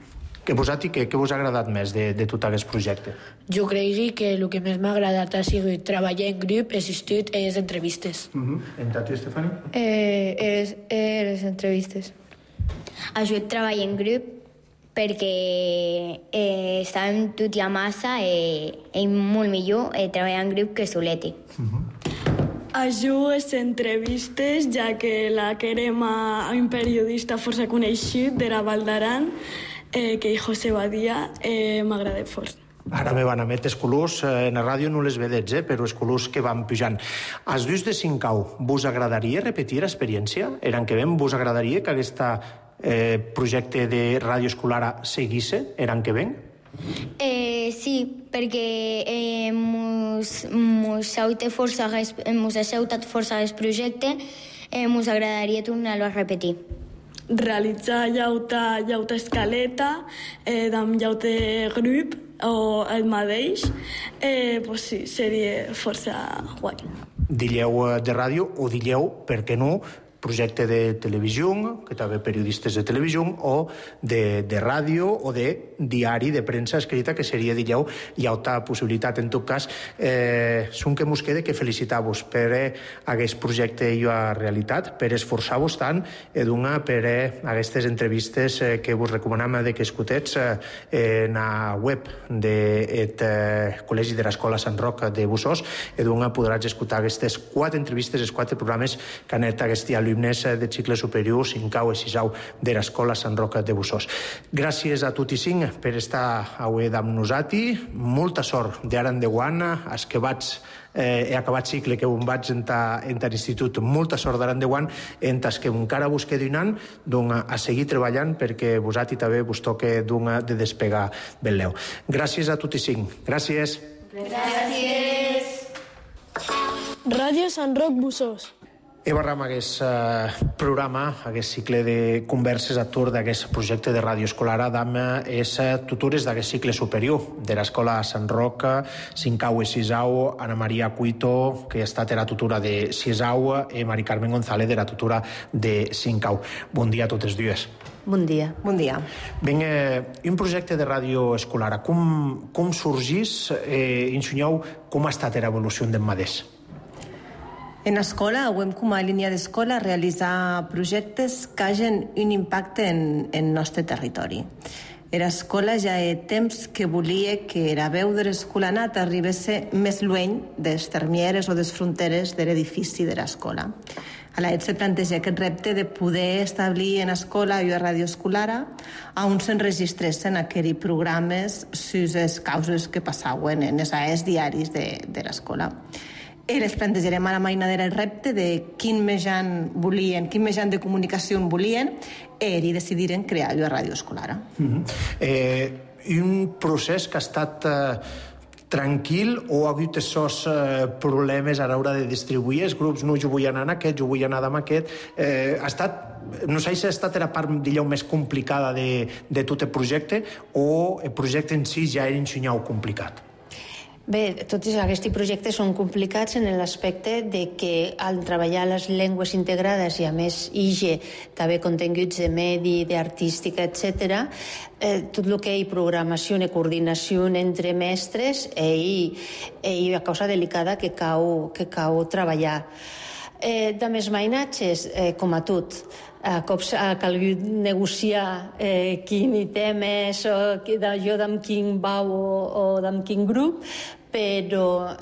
Què vos ha, què, què vos ha agradat més de, de tot aquest projecte? Jo crec que el que més m'ha agradat ha sigut treballar en grup, assistit a les entrevistes. Mm-hmm. En Tati, Estefani? Eh, eres, eres entrevistes. Ajut treball en grup perquè eh, estàvem tot i a massa i eh, és molt millor eh, treballar en grup que soleti. Mm-hmm. Ajudo les entrevistes, ja que la querem a un periodista força coneixut de la Val d'Aran, eh, que és José Badia, eh, m'agrada força. Ara me van emetre els colors, eh, en la ràdio no les vedets, eh, però els colors que van pujant. Als dus de Sincau, vos agradaria repetir l'experiència? Eren que ven, vos agradaria que aquest eh, projecte de ràdio escolar seguisse? Eren que ven? Eh, sí, perquè eh, mos, mos ha força, mos ha sautat força el projecte, eh, mos agradaria tornar-lo a repetir. Realitzar llauta, llauta escaleta, eh, amb llauta grup o el mateix, eh, pues sí, seria força guai. Dilleu de ràdio o dilleu, per què no, projecte de televisió, que també periodistes de televisió, o de, de ràdio o de diari de premsa escrita, que seria, dilleu, hi ha altra possibilitat. En tot cas, eh, són que mos queda que felicitar-vos per eh, aquest projecte i a realitat, per esforçar-vos tant i donar per eh, aquestes entrevistes eh, que vos recomanem de que escutets eh, en la web del eh, Col·legi de l'Escola Sant Roc de Bussós, i donar podràs escoltar aquestes quatre entrevistes, els quatre programes que han anat aquest alumnes de cicle superior, Sincau i Sisau de l'Escola Sant Roc de Bussós. Gràcies a tots i cinc per estar avui amb nosaltres. Molta sort d'ara endavant, els que vaig eh, he acabat cicle que on vaig entrar en l'institut. Molta sort d'ara endavant, en els que encara vos quedi un any, doncs a seguir treballant perquè vosaltres també vos toque de despegar Beleu. Gràcies a tots i cinc. Gràcies. Gràcies. Ràdio Sant Roc Bussós. I barram aquest eh, programa, aquest cicle de converses a tour d'aquest projecte de ràdio escolar amb les tutores d'aquest cicle superior de l'escola Sant Roc, cinquè i sisau, Ana Maria Cuito, que ha estat la tutora de sisau, i Mari Carmen González, de la tutora de cinquè. Bon dia a totes dues. Bon dia. Bon dia. Ben, eh, un projecte de ràdio escolar, com, com sorgís? Eh, ensenyeu com ha estat l'evolució d'en Madés? En escola, hem com a línia d'escola realitzar projectes que hagin un impacte en el nostre territori. L'escola ja ha temps que volia que la veu de l'escolanat arribés més lluny dels termieres o des fronteres de l'edifici de l'escola. A la se planteja aquest repte de poder establir en escola i a ràdio escolar on s'enregistressin aquells programes sus les causes que passaven en els aes diaris de, de l'escola. I les plantejarem a la mainadera el repte de quin mitjan volien, quin mitjan de comunicació volien, i decidiren crear la ràdio escolar. Mm-hmm. eh, un procés que ha estat eh, tranquil o ha hagut aquests eh, problemes a l'hora de distribuir els grups? No, jo vull anar en aquest, jo vull anar amb aquest. Eh, ha estat, no sé si ha estat la part, digueu, més complicada de, de tot el projecte, o el projecte en si ja era ensenyar complicat? Bé, tots aquests projectes són complicats en l'aspecte de que al treballar les llengües integrades i a més I G E també continguts de medi, d'artística, etcètera, eh, tot el que hi programació i coordinació entre mestres i, i una cosa delicada que cau, que cau treballar. Eh, de més mainatges, eh, com a tot, a cops ha calgut negociar eh, quin item és, o jo d'amb quin bau o, o d'amb quin grup, però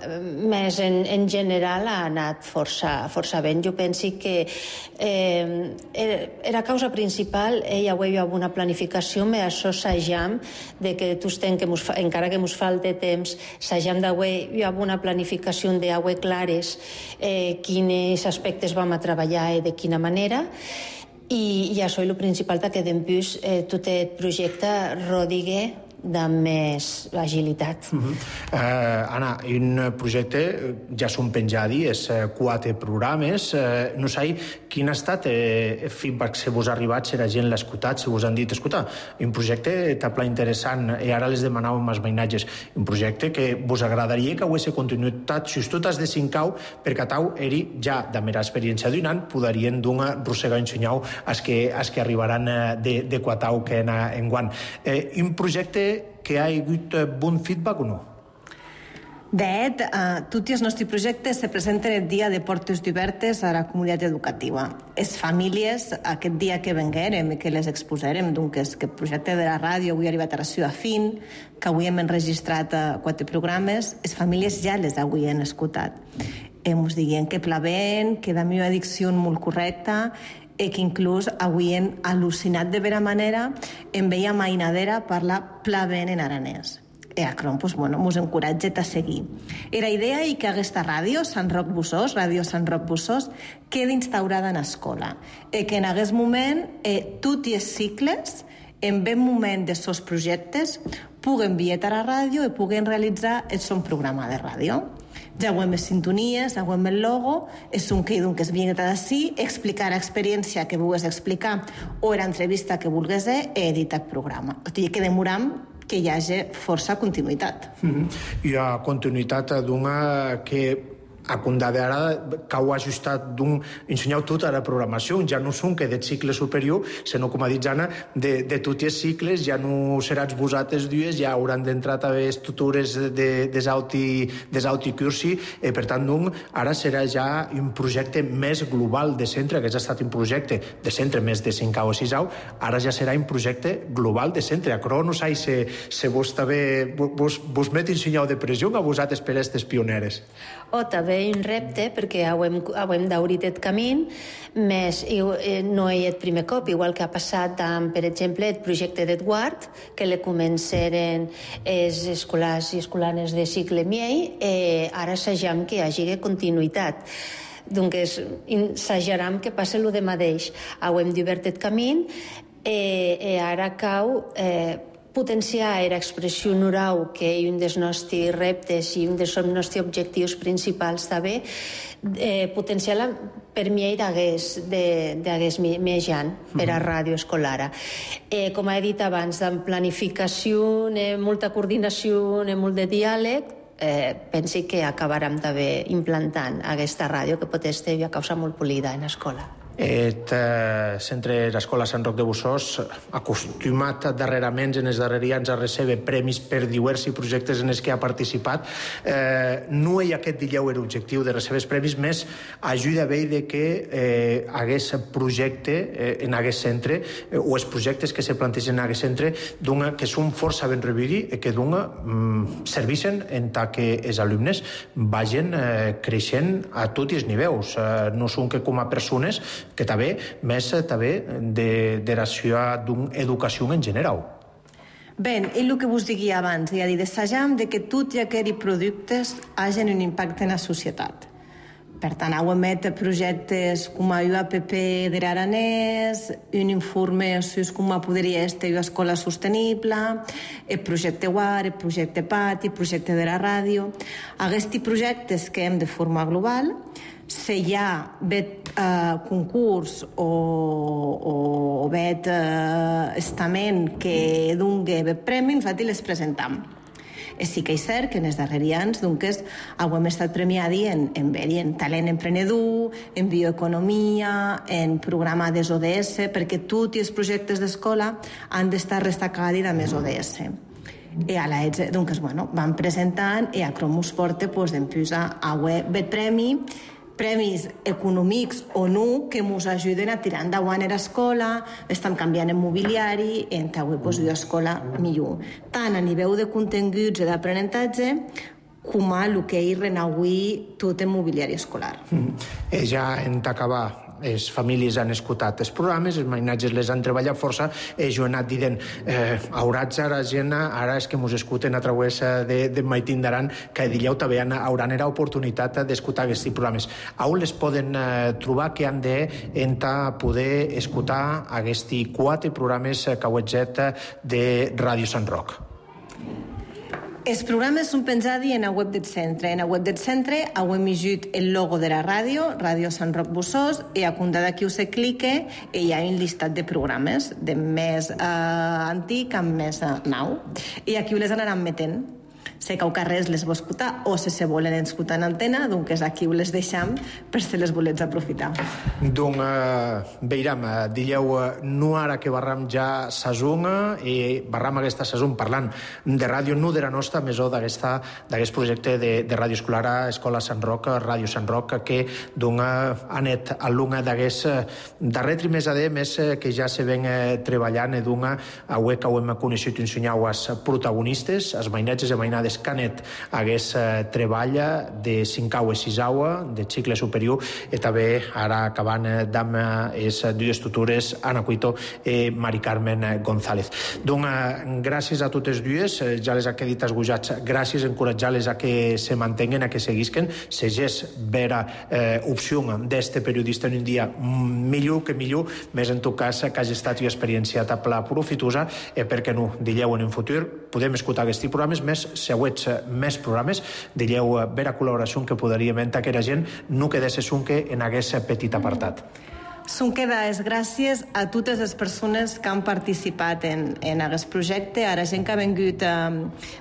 més en, en general ha anat força, força bé. Jo penso que eh, la causa principal hi ha una planificació, però això s'ajam de que tots ten que mos, encara que ens falte temps, s'ajam d'haver una planificació d'haver clares eh, quins aspectes vam a treballar i de quina manera. I, i això és el principal, que després eh, tot el projecte rodigue de més agilitat. Uh-huh. uh, Anna, un projecte ja són penjadi, és uh, quatre programes. Uh, no sé quin ha estat el eh, feedback que vos ha arribat, si la gent l'ha escoltat, si vos han dit, escolta, un projecte t'ha pla interessant, i ara les demanàvem els mainatges, un projecte que vos agradaria que hagués continuïtat, si tu t'has de cincar, perquè tau eri ja de mera experiència d'un any, podarien d'un rossegar ensenyau als que, als que arribaran de, de quatau que en, en guant. Eh, un projecte que ha hagut bon feedback o no? De fet, eh, tots els nostres projectes se presenten el dia de portes obertes a la comunitat educativa. Les famílies, aquest dia que venguérem i que les exposarem, doncs aquest projecte de la ràdio avui ha arribat a la seva fin, que avui hem enregistrat quatre programes, les famílies ja les avui han escoltat. Ens diguen que plavent, que la meva dicció molt correcta, i que inclús avui hem al·lucinat de vera manera en veia mainadera parlar plavent en aranès. I acron, doncs, bueno, mos encoratja a seguir. I la idea és que aquesta ràdio, Sant Roc Bussós, Ràdio Sant Roc Bussós, quedi instaurada en escola. I que en aquest moment, eh, tots els cicles, en ben moment de sos projectes, puguen vietar a la ràdio i puguen realitzar el son programa de ràdio. Ja ho hem les sintonies, ja ho hem el logo, és un que és bien d'ací, explicar l'experiència que vulguis explicar o l'entrevista que vulguis i editar el programa. O sigui, que demoram que hi hagi força continuïtat. Mm-hmm. Hi ha continuïtat d'una que a compte d'ara cau ajustat d'un ensenyau tota la programació, ja no són que del cicle superior, sinó, com ha dit Anna, de, de tots els cicles, ja no seràs vosaltres dues, ja hauran d'entrar també les tutores de, des auti cursi, eh, per tant, doncs, ara serà ja un projecte més global de centre, que ja ha estat un projecte de centre més de cinquè o sisau, ara ja serà un projecte global de centre. Acro, no sé si, si vos també vos, vos met ensenyau de pressió a vosaltres per aquestes pioneres. O també un repte, perquè hem, hem d'obrir el camí, més no és el primer cop, igual que ha passat amb, per exemple, el projecte d'Edward, que le començaren els escolars i escolanes de cicle miei, eh, ara s'ajam que hi hagi continuïtat. Doncs s'ajaram que passi el de mateix. Hem d'obert el camí, i eh, ara cau eh, potenciar era expressió oral, que és un dels nostres reptes i un dels nostres objectius principals també, eh, potenciar-la per mi d'hagués d'hagués més gent per a ràdio escolar. Eh, com he dit abans, en planificació, en molta coordinació, en molt de diàleg, eh, pensi que acabarem també implantant aquesta ràdio que pot estar a causa molt polida en l'escola. El eh, centre l'Escola Sant Roc de Busòs, acostumat darrerament en els darrers anys a recebre premis per diversos projectes en els que ha participat, eh, no hi ha aquest dillau l'objectiu de recebre els premis, més ajuda a veure que eh, hagués projecte eh, en aquest centre, eh, o els projectes que se plantegen en aquest centre, dona, que són força ben rebuts i que dona, mm, serveixen en tant que els alumnes vagin eh, creixent a tots els nivells. Eh, no són que com a persones, que també, més també de, de la seva educació en general. Bé, i el que vos digui abans, ja dir, desajam de que tots aquests productes hagin un impacte en la societat. Per tant, heu emet projectes com a U A P P de l'Aranès, un informe sobre com podria estar una escola sostenible, el projecte W A R, el projecte Pati, el projecte de la ràdio. Aquests projectes que hem de forma global, si hi ha bet eh, concurs o, o, o bet eh, estament que doni bet premi, nosaltres les presentam. Sí que és cert que en els darrers anys doncs, hem estat premiats en, en, en talent emprenedor, en bioeconomia, en programa des O D S, perquè tots els projectes d'escola han d'estar destacats amb els O D S. I a la ETSE, doncs, bueno, van presentant i a Cromus porta, doncs, d'empujar a web bet premi, premis econòmics o no que ens ajuden a tirar endavant a l'escola, estem canviant el mobiliari, en avui doncs, una escola millor. Tant a nivell de continguts i d'aprenentatge, com a el que és renauir tot el mobiliari escolar. Mm. Eh, ja en d'acabar, les famílies han escoltat els programes, els mainatges les han treballat força, eh, jo he anat dient, eh, haurats ara gent, ara és que mos escolten a través de, de Maitín d'Aran, que dillau també hauran era oportunitat d'escoltar aquests programes. On les poden eh, trobar que han de entrar, poder escoltar aquests quatre programes que heu fet de Ràdio Sant Roc? Els programes són penjats en la web del centre. En la web del centre heu emissut el logo de la ràdio, Ràdio Sant Roc Busòs, i a compte d'aquí us clique i hi ha un llistat de programes, de més eh, antic amb més eh, nou. I aquí les anaran metent. Si cau carrers les vol escoltar o si se volen escoltar en antena, doncs aquí les deixam per si les volets aprofitar. Doncs eh, veiram, dillau, no ara que barram ja sasún i barram aquesta sasún parlant de ràdio, no de la nostra, més o d'aquest projecte de, de ràdio escolar a Escola Sant Roc, Ràdio Sant Roc, que doncs ha anat alumne d'aquest darrer trimestre més que ja se ven treballant i doncs avui que ho hem coneixut ensenyau als protagonistes, als mainatges i mainades Canet hagués eh, treballa de cinquau i sisau de cicle superior i també ara acabant eh, amb les dues tutores Ana Cuito i Mari Carmen González. Doncs eh, gràcies a totes dues, eh, ja les ha quedat esgojats, gràcies, encoratjar-les a que se mantenguen, a que seguisquen, segés vera eh, opció d'este periodista en un dia millor que millor, més en tot cas que hagi estat una experiència tan profitosa i eh, perquè no, dillau en un futur podem escoltar aquests programes més següents, més programes, dillau vera col·laboració que podríem entrar que la gent no quedés que en aquest petit apartat. Són quedades gràcies a totes les persones que han participat en, en aquest projecte, a la gent que ha vingut eh,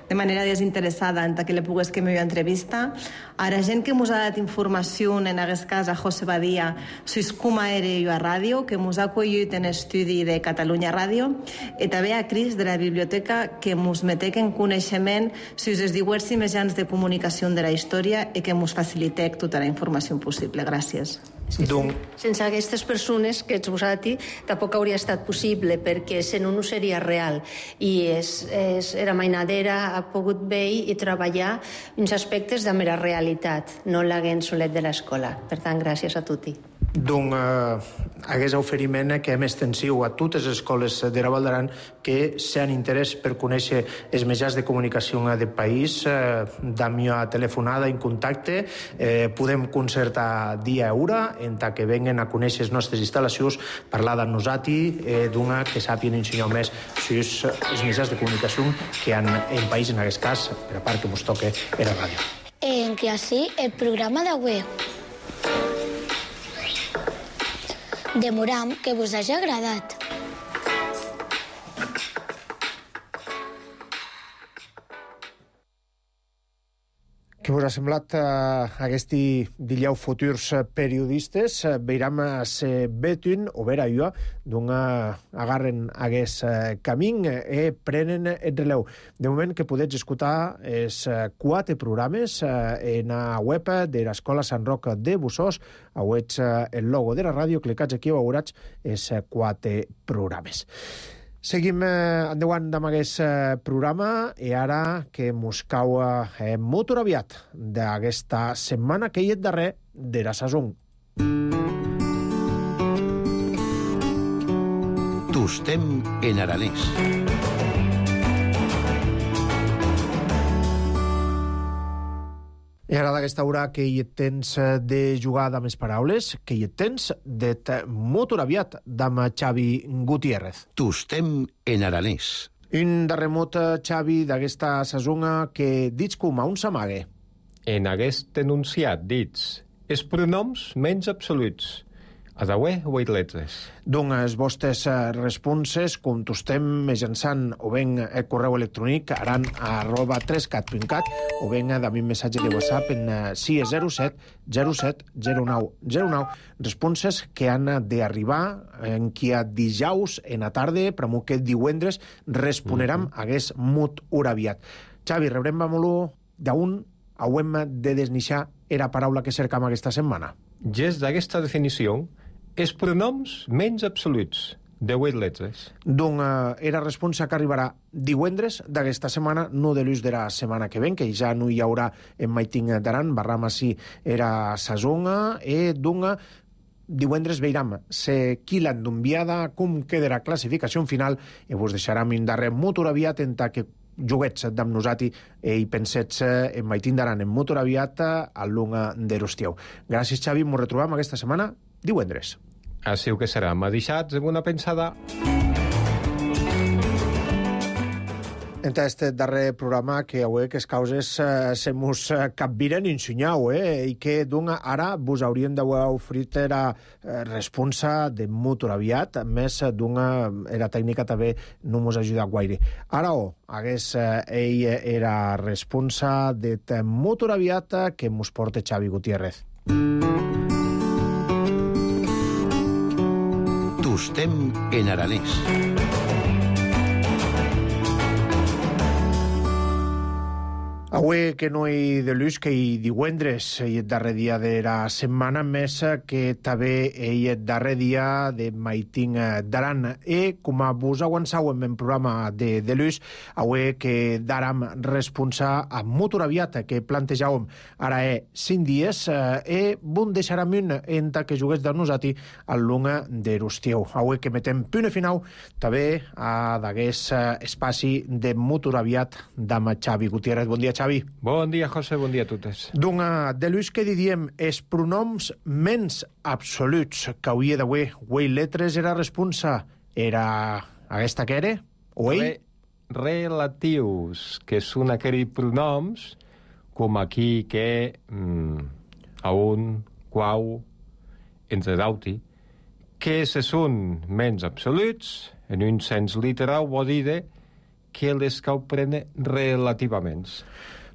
de manera desinteressada en que li pogués que m'hi entrevista, a la gent que ens ha dat informació, en aquest cas a José Badia, sobre com era jo a ràdio, que ens ha acollit en estudi de Catalunya Ràdio, i també a Cris de la biblioteca, que ens metec en coneixement sobre els diversos mitjans de comunicació de la història i que ens facilitec tota la informació possible. Gràcies. Sí, sí. Sense aquestes persones que ets vosaltres tampoc hauria estat possible, perquè si no no seria real, i és, és, era mainadera, ha pogut veure i treballar uns aspectes de mera realitat, no l'haguem solet de l'escola. Per tant, gràcies a tutti. d'un eh, aquest oferiment que hem extensiu a totes les escoles de la Val d'Aran que s'han interès per conèixer els mitjans de comunicació del país, eh, d'ami a telefonada en contacte, eh, podem concertar dia i hora en ta que venguen a conèixer les nostres instal·lacions, parlar amb nosaltres, eh, d'una que sàpien ensenyar més sus els mitjans de comunicació que han en país, en aquest cas, per a part que ens toque per a ràdio. En que així el programa d'avui demoram que vos hagi agradat. Què us ha semblat eh, aquest dillau futurs periodistes? Eh, Veiram se betun, o vera jo, d'un agarren aquest eh, camí e prenen el releu. De moment que podeu escoltar els eh, quatre programes eh, en la web de l'Escola Sant Roc de Bussos. Auets eh, el logo de la ràdio, clicats aquí i veuràs els eh, quatre programes. Seguim eh, endavant amb aquest eh, programa i ara que mos cau eh, molt aviat d'aquesta setmana que hi és darrer de la saison. Tostem en aranès. I ara d'aquesta hora que hi tens de jugar amb les paraules, que hi tens de molt aviat amb Xavi Gutiérrez. Tostem en aranès. Un darrer mot, Xavi, d'aquesta saisona que dits com a un s'amague. En aquest enunciat dits els pronoms menys absoluts. A dauer o vuit letres. Doncs els vostres responses contestem mitjançant o ben el correu electrònic aran arroba trescat punt cat o ben amb un missatge de WhatsApp en sis zero set zero set zero nou zero nou. Responses que han d'arribar en qui a dijous en la tarda, per molt que divendres responeram mm-hmm. hagués molt hora aviat. Xavi, rebrem molt d'un hauem de desnixar era paraula que cercam aquesta setmana. Gest d'aquesta definició, els pronoms menys absoluts, de vuit letres. Doncs eh, era responsa que arribarà divendres d'aquesta setmana, no de l'ús de la setmana que ven, que ja no hi haurà en Maiting d'Aran, barram així era sazonga, i doncs divendres veiram se qui l'han d'enviada, com quedarà classificació final, i vos deixarem un darrer motor aviat en ta que juguets amb nosaltres i pensets en Maiting d'Aran en motor aviat a l'unga de l'Ostiau. Gràcies, Xavi, ens retrobem aquesta setmana divendres. Així que serà. M'ha deixat una pensada. En aquest darrer programa que avui que les causes eh, se mos capviren ensenyau, eh? I que doncs ara vos haurien d'haver ofrit la eh, responsa de molt aviat, més doncs la tècnica també no mos ajuda gaire. Ara o, hagués eh, ell era responsa de molt aviat que mos porta Xavi Gutiérrez. Tostem en aranès. Avui que no hi de l'ús, que hi divendres hi el darrer dia de la setmana, més que també hi el darrer dia de Maiting d'Aran. I com a vos aguançau en el programa de, de l'ús, avui que daram responsa a molt aviat que plantejàvem ara he cinc dies i bon deixaram un en que jugués de nosaltres al lunga de l'Ostiau. Avui que metem punt final també a d'aquest espaci de molt aviat d'ama Xavi Gutiérrez. Bon dia, Xavi. Bon dia, José, bon dia a totes. Doncs, de l'ús que diríem, els pronoms menys absoluts que hauria d'avui, güey, letres era responsa, era aquesta que era? O ell? Re relatius, que són aquells pronoms com aquí, que, mm, a un, quau, entre d'altres, que se són menys absoluts, en un sens literal, vol dir que les cau prene relativament.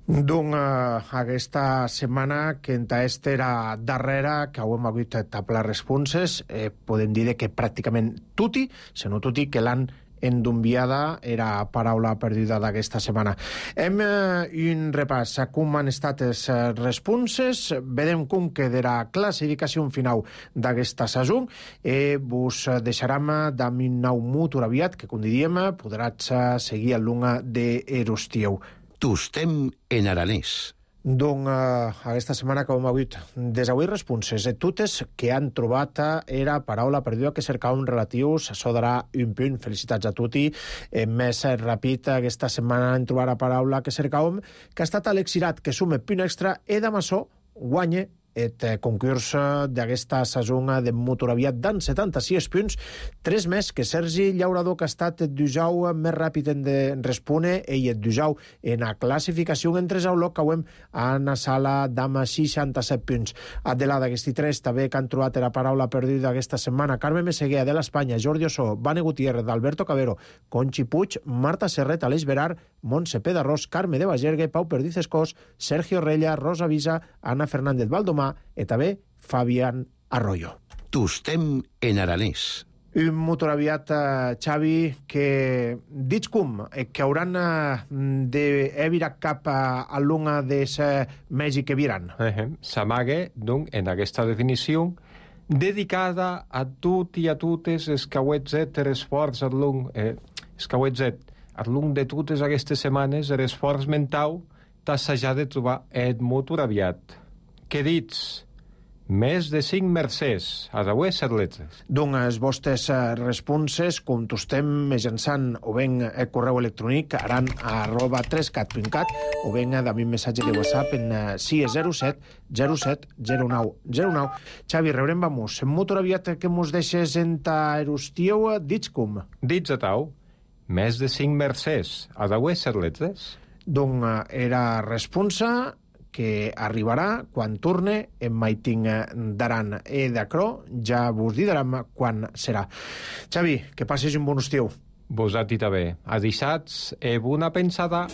Doncs eh, aquesta setmana que en aquesta era darrera, que hem hagut tablar responses, eh, podem dir que pràcticament tutti, se no tutti, que l'han endonviada era paraula perduda d'aquesta setmana. Hem eh, un repàs a com han estat les eh, responses, vedem com quedarà classificació final d'aquesta saison i vos deixarem d'am un nou motor aviat que, com diríem, podràs seguir a l'unga de Erostieu. Tostem en aranès. Doncs uh, aquesta setmana que hem hagut des avui responses de totes que han trobat era paraula perduda que cercàvem relatius, això darà un punt, felicitats a tutti. Eh, més ràpid, aquesta setmana hem trobat la paraula que cercàvem, que ha estat Alexirat, que sume punt extra, e d'amassó guanya et concurs d'aquesta saison de Motoraviat d'en setanta-sis punts, tres més que Sergi Llaurador, que ha estat dujau més ràpid en de respone, ell et dujau en la classificació entre Zauló, que hem a la sala d'ama seixanta-set punts. Adelada, aquests tres també que han trobat la paraula perduda aquesta setmana: Carme Meseguer, de l'Espanya, Jordi Ossó, Vane Gutiérrez, Alberto Cabero, Conchi Puig, Marta Serret, Aleix Berar, Montse Pedarrós, Carme de Bagergue, Pau Perdiz Escós, Sergio Rella, Rosa Visa, Ana Fernández Valdomà i també Fabián Arroyo. Tostem en aranès. Un motoraviat, uh, Xavi, que dits com, que hauran uh, d'evirar cap uh, a l'una de Mèxic que viran. Uh-huh. S'amague, doncs, en aquesta definició, dedicada a tot i a totes els cauetzet l'esforç a l'un, eh, els cauetzet, a l'un de totes aquestes setmanes, l'esforç mental d'assajar de trobar el motoraviat. Que dits? Més de cinc mercès, a deues set letres. Doncs els vostres responses, com tostem mitjançant o ben el correu electrònic aran arroba trescat punt cat o ben a mi missatge de WhatsApp en sis zero set zero set zero nou zero nou. Xavi, rebrem vamos. En motoraviat que mos deixes en ta erustiu, dits com? Dits a tau, més de cinc mercès, a deues set letres. Doncs era responsa que arribarà quan torne en Maiting d'Aran. E d'acrò ja vos direm quan serà. Xavi, que passes un bon estiu. Vos a ti també. A dissats e bona pensada.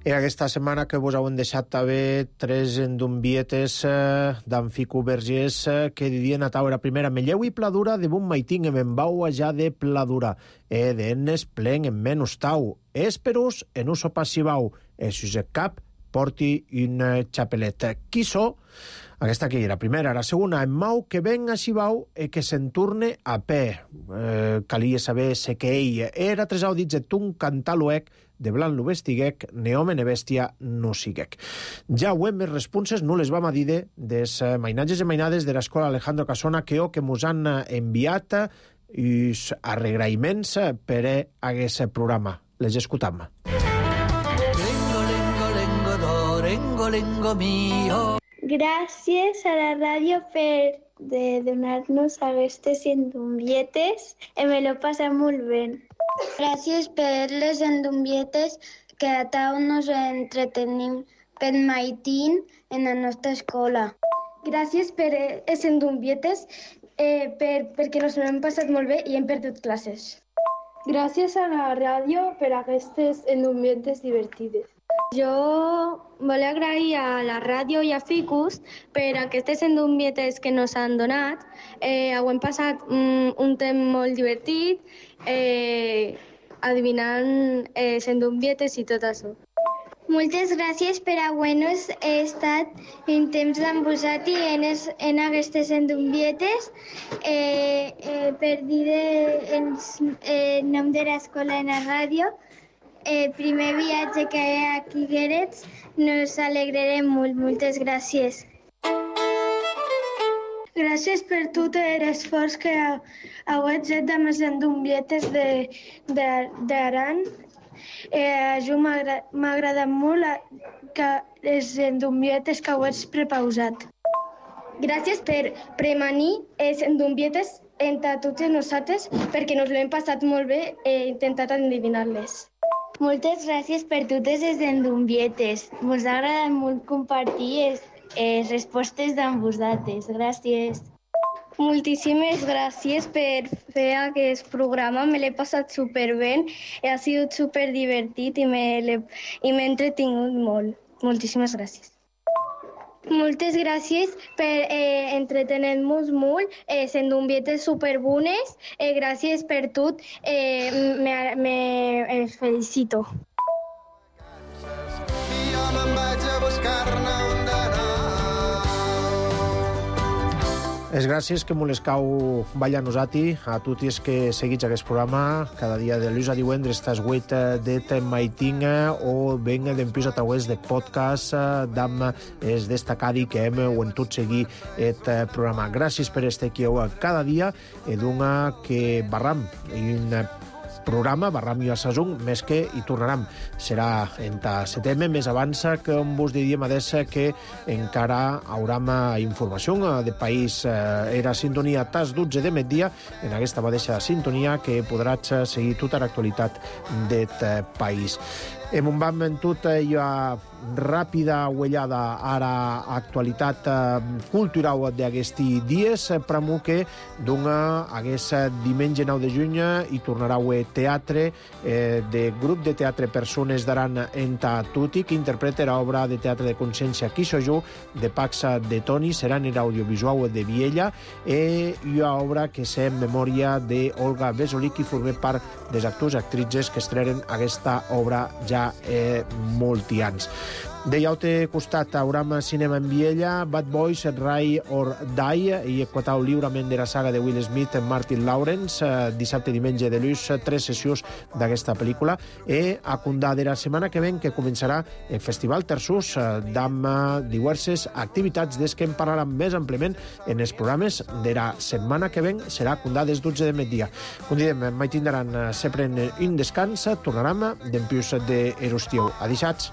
I aquesta setmana que vos heu deixat també tres endumbietes eh, d'en Fico Vergés eh, que didien a tau era primera Melleu i Pladura de bon maiting em embau ja de Pladura e d'ennes plen en menys tau esperus en uso passivau e si us cap porti un xapelet. Qui so? Aquesta que era primera, la segona, en mau que ven a Xibau e que se'n torne a pe. Eh, calia saber se que ell era tres audits de tun cantaluec de blanc lo vestiguec, ne home ne bèstia no siguec. Ja ho hem més responses, no les vam a dir des mainatges i mainades de l'escola Alejandro Casona que o que mos han enviat i arregraïments per a aquest programa. Les escutam. Lengo, lengo, lengo, do, lengo, lengo mío. Gràcies a la ràdio per de donar-nos aquestes endumbietes. Me l'he passat molt bé. Gràcies per les endumbietes que a tau nos entretenim per maitín en la nostra escola. Gràcies per les endumbietes eh, per, perquè nos hem passat molt bé i hem perdut classes. Gràcies a la ràdio per aquestes endumbietes divertides. Jo volia agrair a la ràdio i a Ficus per aquestes endumbietes que nos han donat. Eh, ho hem passat un, un temps molt divertit, eh, adivinant eh, endumbietes i tot això. Moltes gràcies per haver-nos estat en temps amb vosaltres en, es, en aquestes endumbietes. Eh, eh, per dir el eh, nom de l'escola en la ràdio, el primer viatge que hi ha aquí a Guerets, nos alegrarem molt. Moltes gràcies. Gràcies per tot l'esforç que heu fet amb les endumbietes d'Aran. Eh, jo m'ha agradat molt que les endumbietes que heu prepausat. Gràcies per premanir les endumbietes entre totes nosaltres perquè nos l'hem passat molt bé i he intentat endevinar-les. Moltes gràcies per totes les endumbietes. Mos ha agradat molt compartir les, les respostes amb vosaltres. Gràcies. Moltíssimes gràcies per fer aquest programa. Me l'he passat superbé, ha sigut superdivertit i m'he entretingut molt. Moltíssimes gràcies. Moltes gràcies per eh, entretenir-nos molt, eh, sent endumbietes superbones. Eh, gràcies per tot, eh, me, me eh, felicito. Jo me'n vaig a buscar-ne un d'anar. Les gràcies que molescau balla nosati a tutti els que seguits aquest programa cada dia de l'ús a divendres estàs vuit de maiting o venga d'empís a través de podcast d'am es destacadi que hem o en tot seguir aquest programa. Gràcies per estar aquí cada dia e d'una que barram un programa, barram i a sasung, més que hi tornaram. Serà en ta setembre, més avança que on vos diríem adessa que encara hauram informació de país. Era sintonia tas dotze de migdia, en aquesta mateixa sintonia que podràs seguir tota l'actualitat d'aquest país. Hem un vam en tota la ràpida uellada ara actualitat cultural d'aquests dies, pramo que dona aquest diumenge nou de juny i tornarà a teatre de grup de teatre Persones d'Aran en Tuti, que interpreta l'obra de teatre de consciència Qui soy jo, de Paxa de Toni, serà en l'audiovisual de Viella, i una obra que és en memòria d'Olga Vesolí, que forma part dels actors i actrices que estrenen aquesta obra ja eh, molti anys. De l'altre costat, hauram cinema en Viella, Bad Boys, Ride or Die, i equatau lliurament de la saga de Will Smith en Martin Lawrence, dissabte i diumenge de l'ús, tres sessions d'aquesta pel·lícula, i a Condà de la setmana que ven, que començarà el Festival Terçús, amb diverses activitats des que en parlarem més amplament en els programes de la setmana que ven, serà a Condà des dotze de migdia. Com diem, mai tindran sempre un descans, tornarem d'en pius de Erostiu. Adixats.